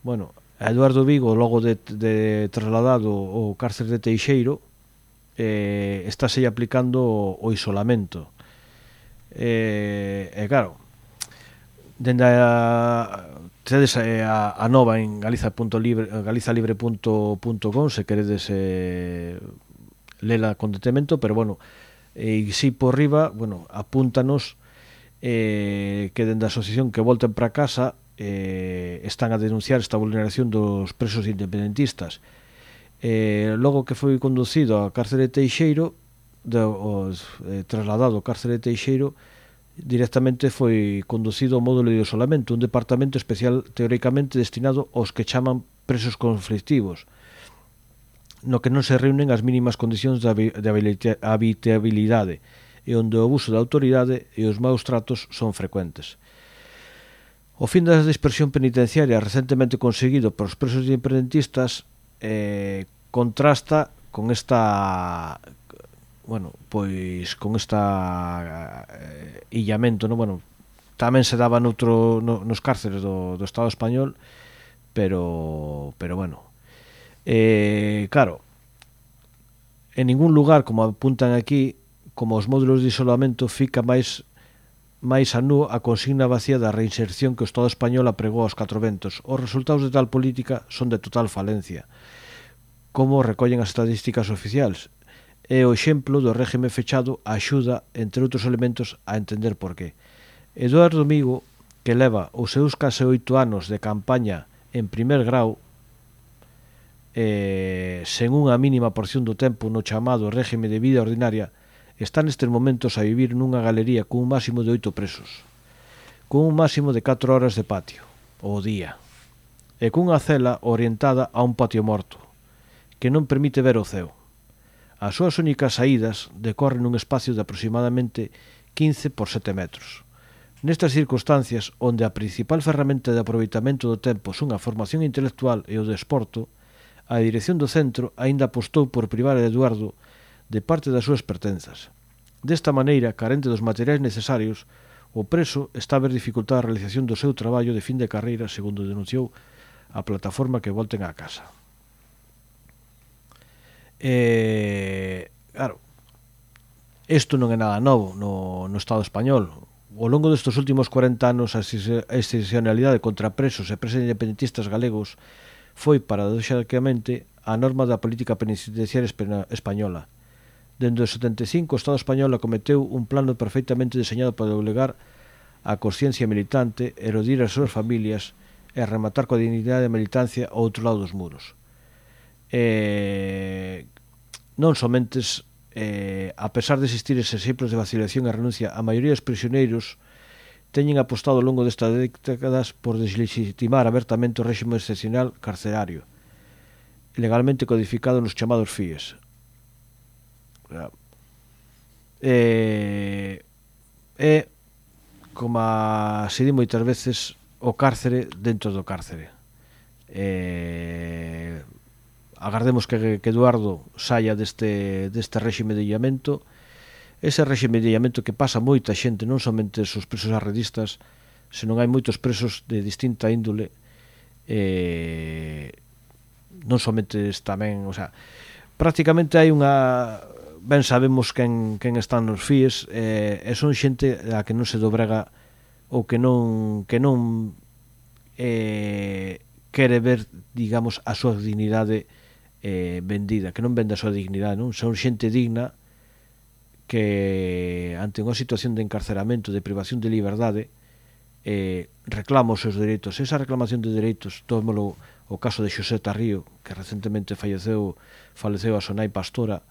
bueno, a Eduardo Vigo, logo de, de trasladado ao cárcere de Teixeiro, eh, estáse aplicando o, o isolamento. Eh, e claro, dende a tedes a, a nova en galiza punto libre, galizalibre punto com se queredes eh, lela con detemento, pero bueno, e si por riba, bueno, apúntanos eh, que dende a asociación Que Volten para Casa eh, están a denunciar esta vulneración dos presos independentistas. Eh, logo que foi conducido ao cárcere de Teixeiro, de, os, eh, trasladado ao cárcere de Teixeiro, directamente foi conducido ao módulo de isolamento, un departamento especial teóricamente destinado aos que chaman presos conflictivos, no que non se reúnen as mínimas condicións de habitabilidade e onde o abuso da autoridade e os maus tratos son frecuentes. O fin da dispersión penitenciaria recentemente conseguido por os presos independentistas eh, contrasta con esta... bueno, pois con esta eh, illamento, no? Bueno, tamén se daba noutro, no, nos cárceres do, do Estado español, pero pero bueno, eh, claro, en ningún lugar, como apuntan aquí, como os módulos de isolamento, fica máis máis a nu a consigna vacía da reinserción que o Estado español apregou aos catro ventos. Os resultados de tal política son de total falencia, como recollen as estadísticas oficiais. E o exemplo do réxime fechado axuda, entre outros elementos, a entender por qué. Eduardo Vigo, que leva os seus case oito anos de campaña en primer grau, eh, sen unha mínima porción do tempo no chamado réxime de vida ordinaria, está nestes momentos a vivir nunha galería cun máximo de oito presos, cun un máximo de catro horas de patio, ao día, e cunha cela orientada a un patio morto, que non permite ver o ceo. As súas únicas saídas decorren nun espacio de aproximadamente quince por sete metros. Nestas circunstancias, onde a principal ferramenta de aproveitamento do tempo son a formación intelectual e o desporto, a dirección do centro aínda apostou por privar a Eduardo de parte das súas pertenzas. Desta maneira, carente dos materiais necesarios, o preso está a ver dificultada a realización do seu traballo de fin de carreira, segundo denunciou a plataforma Que Volten á Casa. Eh, claro, isto non é nada novo no, no Estado español. Ao longo destes últimos corenta anos, a excepcionalidade contra presos e presos independentistas galegos foi, paradoxalmente, a norma da política penitenciaria española. Dende o setenta e cinco, o Estado español acometeu un plano perfectamente deseñado para doblegar a consciencia militante, erodir as súas familias e rematar coa dignidade de militancia ao outro lado dos muros. Eh, non somente eh, a pesar de existir eses exemplos de vacilación e renuncia, a maioría dos prisioneiros teñen apostado ao longo destas décadas por deslegitimar abertamente o réxime excepcional carcerario, legalmente codificado nos chamados F I E S. E, e como se di moitas veces, o cárcere dentro do cárcere. E agardemos que, que Eduardo saia deste, deste réxime de illamento, ese réxime de illamento que pasa moita xente, non somente os presos arredistas, senón hai moitos presos de distinta índole, eh, non somente tamén, o sea, prácticamente hai unha, ben sabemos quen, quen están nos F I E S, eh, e son xente a que non se dobrega ou que non que non eh, quere ver, digamos, a súa dignidade eh, vendida, que non vende a súa dignidade, non? Son xente digna que ante unha situación de encarceramento, de privación de liberdade, eh, reclama os seus dereitos. Esa reclamación de dereitos, tómolo o caso de Xosé Tarrío, que recentemente falleceu, faleceu a Sonai Pastora,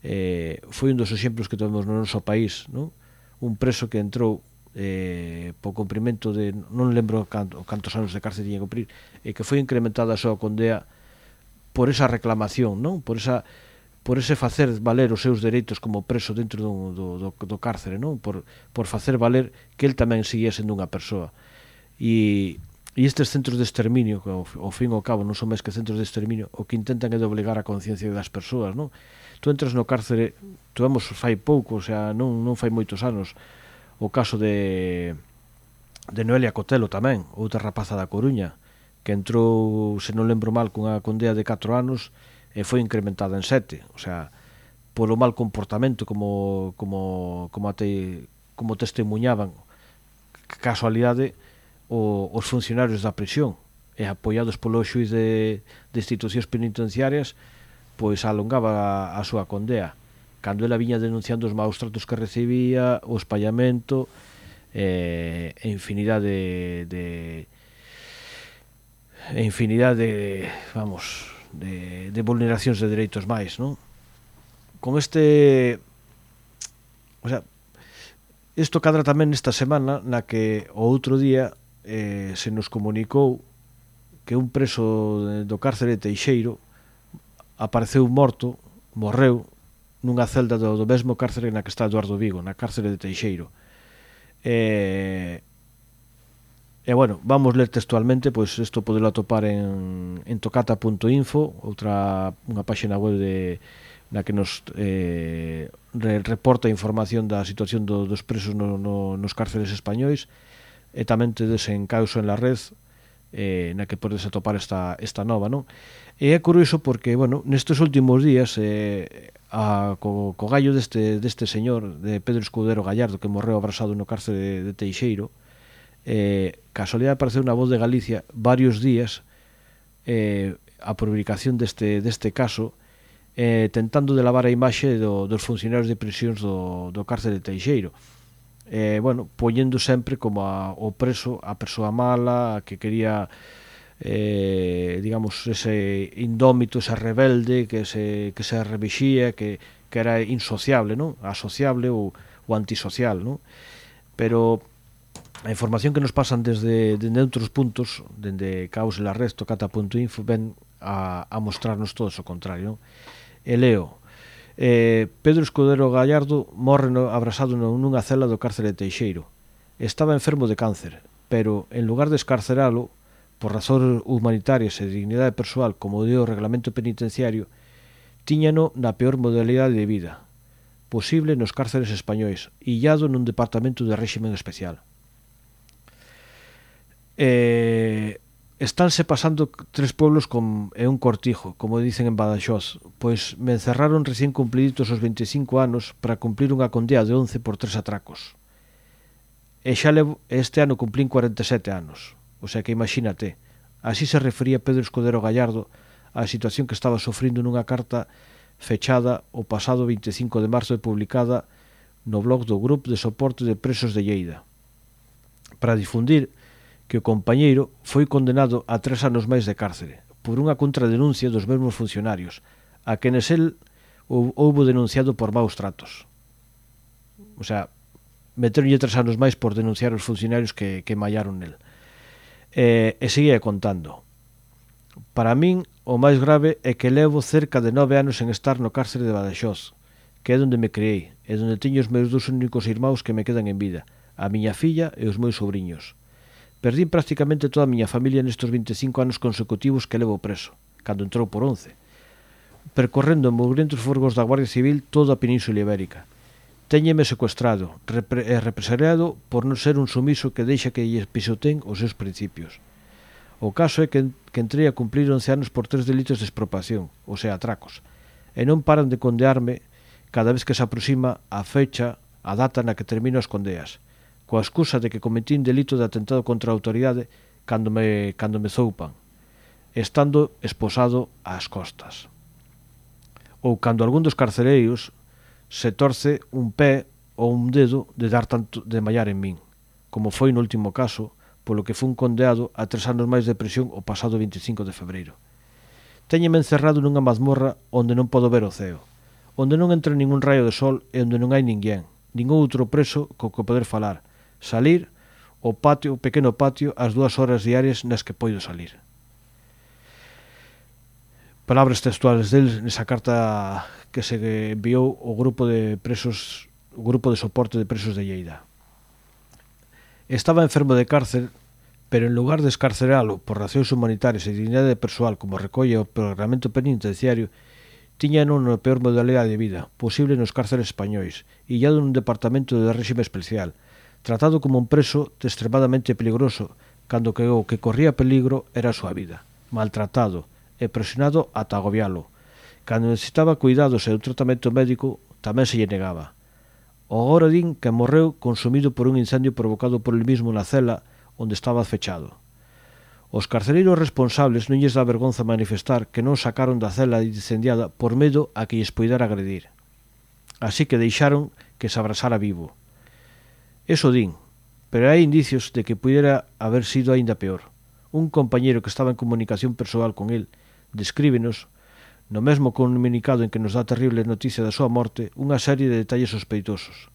eh, foi un dos exemplos que temos no noso país, non? Un preso que entrou eh, po cumprimento de, non lembro canto, cantos anos de cárcel tiña que cumprir, e que foi incrementada a súa condea por esa reclamación, non? Por esa por ese facer valer os seus dereitos como preso dentro do, do, do, do cárcere, non? Por, por facer valer que el tamén seguía sendo unha persoa. E, e estes centros de exterminio, que ao, ao fin e ao cabo non son máis que centros de exterminio, o que intentan é de obligar a conciencia das persoas, non? Tu entras no cárcere, tuvemos fai pouco, o sea, non, non fai moitos anos, o caso de, de Noelia Cotelo tamén, outra rapaza da Coruña, que entrou, se non lembro mal, cunha condea de catro anos, e foi incrementada en sete, o sea, polo mal comportamento como como como te, como testemunhaban, casualidade, o, os funcionarios da prisión, e apoiados polo xuiz de, de institucións penitenciarias, pois alongaba a, a súa condea, cando ela viña denunciando os maus tratos que recibía, o espallamento, e, e infinidade de, de e infinidade de, vamos, de, de vulneracións de dereitos máis, non? Con este, o sea, isto cadra tamén esta semana na que o outro día eh, se nos comunicou que un preso do cárcere de Teixeiro apareceu morto, morreu nunha celda do, do mesmo cárcere na que está Eduardo Vigo, na cárcere de Teixeiro. E, e bueno, vamos ler textualmente, pois isto podelo atopar en, en tocata punto info, outra unha páxina web de, na que nos eh, re, reporta información da situación do, dos presos no, no, nos cárceres españois, e tamén tedes en Causo en la Red, eh, na que podes atopar esta, esta nova, non? E é curioso porque, bueno, nestes últimos días eh, a, co, co gallo deste, deste señor, de Pedro Escudero Gallardo, que morreu abrasado no cárcere de, de Teixeiro, eh, casualidade apareceu na Voz de Galicia varios días eh, a publicación deste, deste caso, eh, tentando de lavar a imaxe do, dos funcionarios de prisións do, do cárcere de Teixeiro, eh, bueno, poñendo sempre como a, o preso a persoa mala, a que quería eh, digamos, ese indómito, ese rebelde que se, que se revixía, que, que era insociable, non? Asociable ou, ou antisocial, non? Pero a información que nos pasan desde, desde outros puntos, desde Caos en la Red, tocata punto info, ven a, a mostrarnos todo o contrario, non? E leo, eh, Pedro Escudero Gallardo morre no, abrasado nunha cela do cárcere de Teixeiro. Estaba enfermo de cáncer, pero en lugar de escarceralo por razóns humanitarias e dignidade persoal, como dio o reglamento penitenciario, tíñano na peor modalidade de vida posible nos cárceres españois, illado nun departamento de réximen especial. Eh, estánse pasando tres pueblos con, e un cortijo, como dicen en Badaxoz, pois me encerraron recién cumpliditos os veinticinco anos para cumplir unha condea de once por tres atracos. E xa levo, este ano cumplín cuarenta e sete anos. O sea que imagínate, así se refería Pedro Escudero Gallardo á situación que estaba sofrindo nunha carta fechada o pasado veinticinco de marzo e publicada no blog do Grupo de Soporte de Presos de Lleida, para difundir que o compañeiro foi condenado a tres anos máis de cárcere por unha contradenuncia dos mesmos funcionarios, a quenes el houbo denunciado por maus tratos. O sea, meteronlle tres anos máis por denunciar os funcionarios que, que mallaron nel. E, e seguía contando. Para min, o máis grave é que levo cerca de nove anos en estar no cárcere de Badaxoz, que é onde me criei, e onde teño os meus dous únicos irmãos que me quedan en vida, a miña filla e os meus sobrinhos. Perdín prácticamente toda a miña familia nestes veinticinco anos consecutivos que levo preso, cando entrou por once, percorrendo en mugrientos furgos da Guardia Civil toda a Península Ibérica. Téñeme secuestrado repre e represaliado por non ser un sumiso que deixa que lle pisoteen os seus principios. O caso é que, que entrei a cumplir once anos por tres delitos de expropiación, ou sea, atracos, e non paran de condearme cada vez que se aproxima a fecha, a data na que termino as condeas, coa excusa de que cometín delito de atentado contra a autoridade cando me, cando me zoupan, estando esposado ás costas. Ou cando algún dos carcereiros se torce un pé ou un dedo de dar tanto de mallar en min. como foi no último caso, polo que foi un condeado a tres anos máis de prisión o pasado veinticinco de febreiro. Téñeme encerrado nunha mazmorra onde non podo ver o ceo, onde non entra ningún raio de sol e onde non hai ninguén, ningún outro preso co que poder falar, salir ao patio, o pequeno patio, as dúas horas diarias nas que poido salir. Palabras textuales del nesa carta que se enviou o grupo de presos, o grupo de soporte de presos de Lleida. Estaba enfermo de cárcel, pero en lugar de escarceralo por racións humanitarias e dignidade persoal como recolle o Reglamento Penitenciario, tiña non a peor modalidade de vida posible nos cárceles españois, illado nun departamento de réxime especial, tratado como un preso extremadamente peligroso, cando que o que corría peligro era a súa vida, maltratado e presionado ata agobialo. Cando necesitaba cuidados e un tratamento médico, tamén se lle negaba. O agora din que morreu consumido por un incendio provocado por el mismo na cela onde estaba fechado. Os carcereiros responsables non lles dá vergonza manifestar que non sacaron da cela incendiada por medo a que lles poidera agredir. Así que deixaron que se abrasara vivo. Eso din, pero hai indicios de que pudera haber sido aínda peor. Un compañeiro que estaba en comunicación persoal con el descríbenos, no mesmo comunicado en que nos dá terrible noticia da súa morte, unha serie de detalles sospeitosos.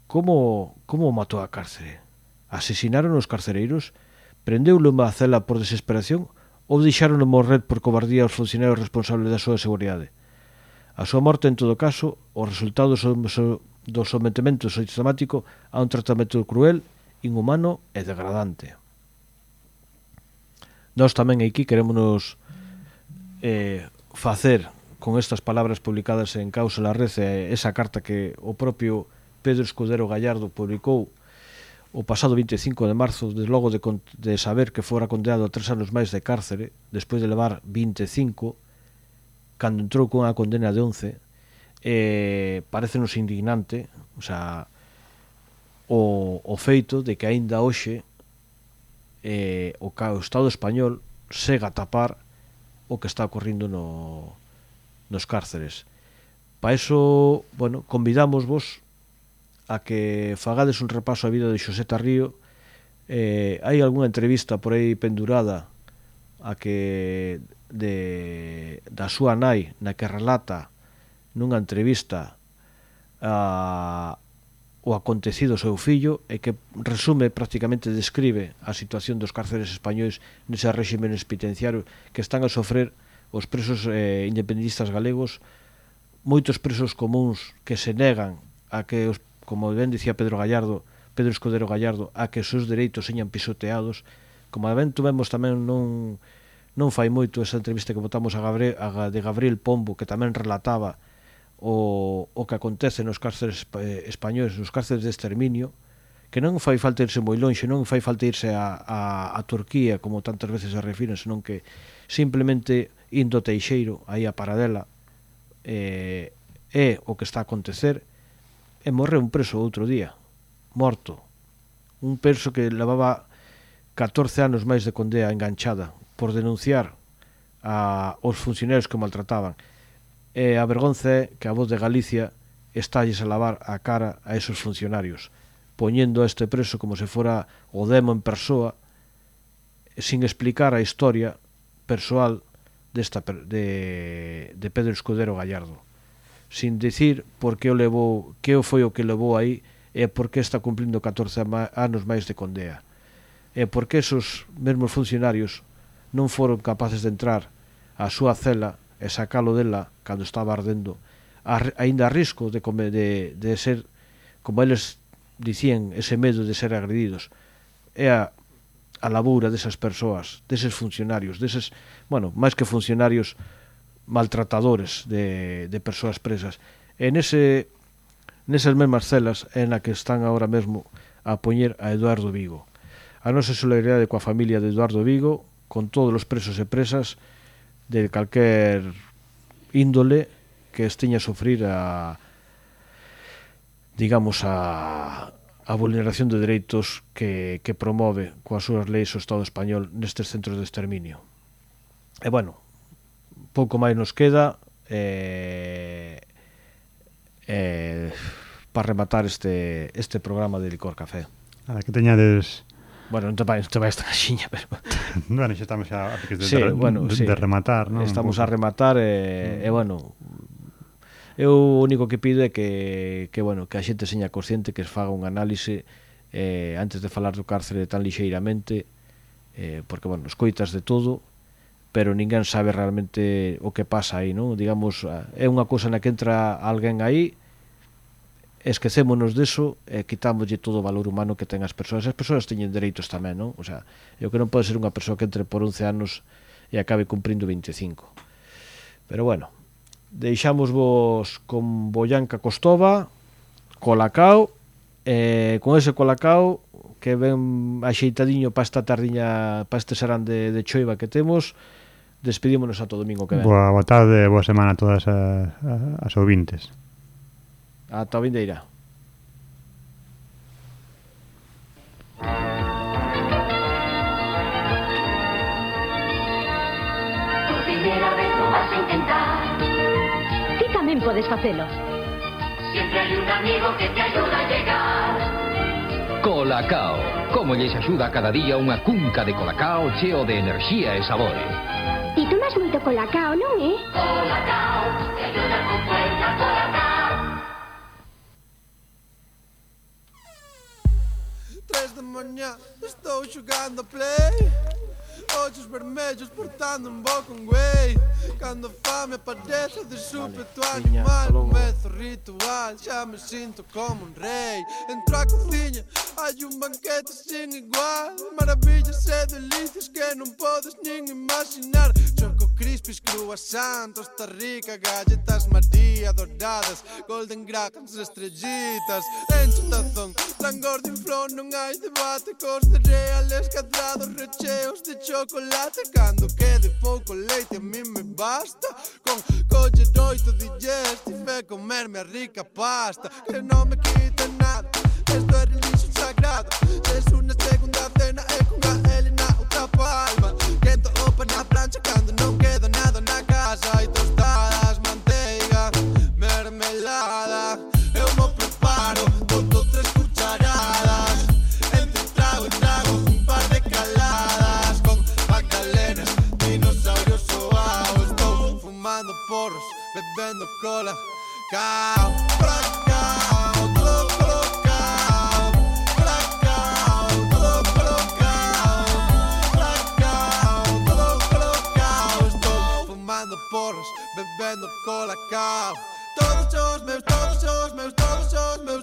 Como, como o matou a cárcere? Asesinaron os carcereiros? Prendeulo unha cela por desesperación ou deixaron morrer por cobardía os funcionarios responsables da súa seguridade? A súa morte, en todo caso, o resultado do sometimento sistemático a un tratamento cruel, inhumano e degradante. Nós tamén aquí queremos eh, facer con estas palabras publicadas en Causa la Red esa carta que o propio Pedro Escudero Gallardo publicou o pasado veinticinco de marzo, desde logo de, de saber que fora condenado a tres anos máis de cárcere, despois de levar veinticinco, cando entrou con a condena de once, eh, parecenos indignante, o sea, o, o feito de que aínda hoxe eh, o, o Estado español sega a tapar o que está ocorrindo no, nos cárceres. Pa iso, bueno, convidamos vos a que fagades un repaso á vida de Xosé Tarrío. Eh, hai algunha entrevista por aí pendurada a que de, da súa nai, na que relata nunha entrevista a o acontecido ao seu fillo e que resume, prácticamente describe a situación dos cárceres españois nese réxime penitenciario que están a sofrer os presos eh, independentistas galegos, moitos presos comuns que se negan a que, os, como ben dicía Pedro Gallardo, Pedro Escudero Gallardo, a que os seus dereitos señan pisoteados, como ben tuvemos tamén non, non fai moito esa entrevista que botamos a, Gabriel, a de Gabriel Pombo, que tamén relataba O, o que acontece nos cárceres españoles, nos cárceres de exterminio, que non fai falta irse moi lonxe, non fai falta irse a, a, a Turquía, como tantas veces se refiren, senón que simplemente indo Teixeiro, aí a Paradela, eh, é o que está a acontecer, e morreu un preso outro día, morto, un preso que levaba catorce anos máis de condea enganchada por denunciar a, os funcionarios que maltrataban. E a vergonza é que a Voz de Galicia estalles a lavar a cara a esos funcionarios, poñendo a este preso como se fora o demo en persoa, sin explicar a historia persoal desta, de, de Pedro Escudero Gallardo, sin dicir por que o levou, que o foi o que levou aí e por que está cumplindo catorce anos máis de condea, e por que esos mesmos funcionarios non foron capaces de entrar á súa cela e sacalo dela cando estaba ardendo, aínda a risco de, de, de ser, como eles dicían, ese medo de ser agredidos. É a, a labura desas persoas, deses funcionarios, deses, bueno, máis que funcionarios, maltratadores de, de persoas presas. E nese, nesas mesmas celas é na que están agora mesmo a poñer a Eduardo Vigo. A nosa solidaridade coa familia de Eduardo Vigo, con todos os presos e presas de calquer índole que esteña a sufrir a, digamos, a, a vulneración de dereitos que, que promove coas súas leis o Estado español nestes centros de exterminio. E, bueno, pouco máis nos queda. E, e, para rematar este este programa de Licor Café. A que teñades... Bueno, non te vai, non te vai esta caxiña, pero... Bueno, xa estamos xa a piques de, sí, de, bueno, de, sí. de rematar, non? Estamos a rematar e, mm. e bueno, eu o único que pido é que, que, bueno, que a xente seña consciente, que es faga un análise eh, antes de falar do cárcere tan lixeiramente, eh, porque, bueno, escoitas de todo, pero ninguén sabe realmente o que pasa aí, non? Digamos, é unha cousa na que entra alguén aí, esquecémonos deso e quitámoslle todo o valor humano que ten as persoas. As persoas teñen dereitos tamén, non? O sea, é o que non pode ser unha persoa que entre por once anos e acabe cumprindo vinte e cinco. Pero bueno, deixamos vos con Boyanca Costova, Colacao, e con ese Colacao que ven axeitadiño para esta tardiña, para este serán de, de choiva que temos, despedímonos a todo domingo que ven. Boa, boa tarde, boa semana a todas as, as ouvintes. Ata a vindeira. Por primeira vez lo vas a intentar. Ti tamén podes facelo. Siempre hay un amigo que te ayuda a llegar. Colacao. Como lles axuda cada día unha cunca de Colacao cheo de enerxía e sabores. Ti tomas moito Colacao, non é? Colacao, te ayuda con fuerza, Colacao. Tres da manhã, estou jogando play. Olhos vermelhos portando um bom com güey. Quando a fame aparece de súbito animal, começo o ritual, já me sinto como um rei. Entro à cozinha, há um banquete sem igual. Maravilhas e delícias que não podes nem imaginar. Choco crispies, croissant, Costa Rica, galletas Maria douradas, golden grahams, estrellitas. Enche o tazón, langor de flor, non hai debate. Cos cereales cadrados, recheos de chocolate. Cando quede pouco leite a mí me basta. Con coller oito dies tive comerme a rica pasta. Que non me quita nada, esto é religio sagrado. Es unha segunda cena e con a Elena outra palma. Quento o pan na plancha cando non queda nada na casa. Hai tostadas, manteiga, mermelada. Eu mo preparo todo tres cucharadas. Entre trago e trago un par de caladas. Con magdalenas, dinosaurios soados. Estou fumando porros, bebendo cola, cao, colacao, todo colacao, colacao, todo colacao, colacao, todo colacao. Estou fumando porros, bebendo colacao. Todos os meus, todos os meus, todos os meus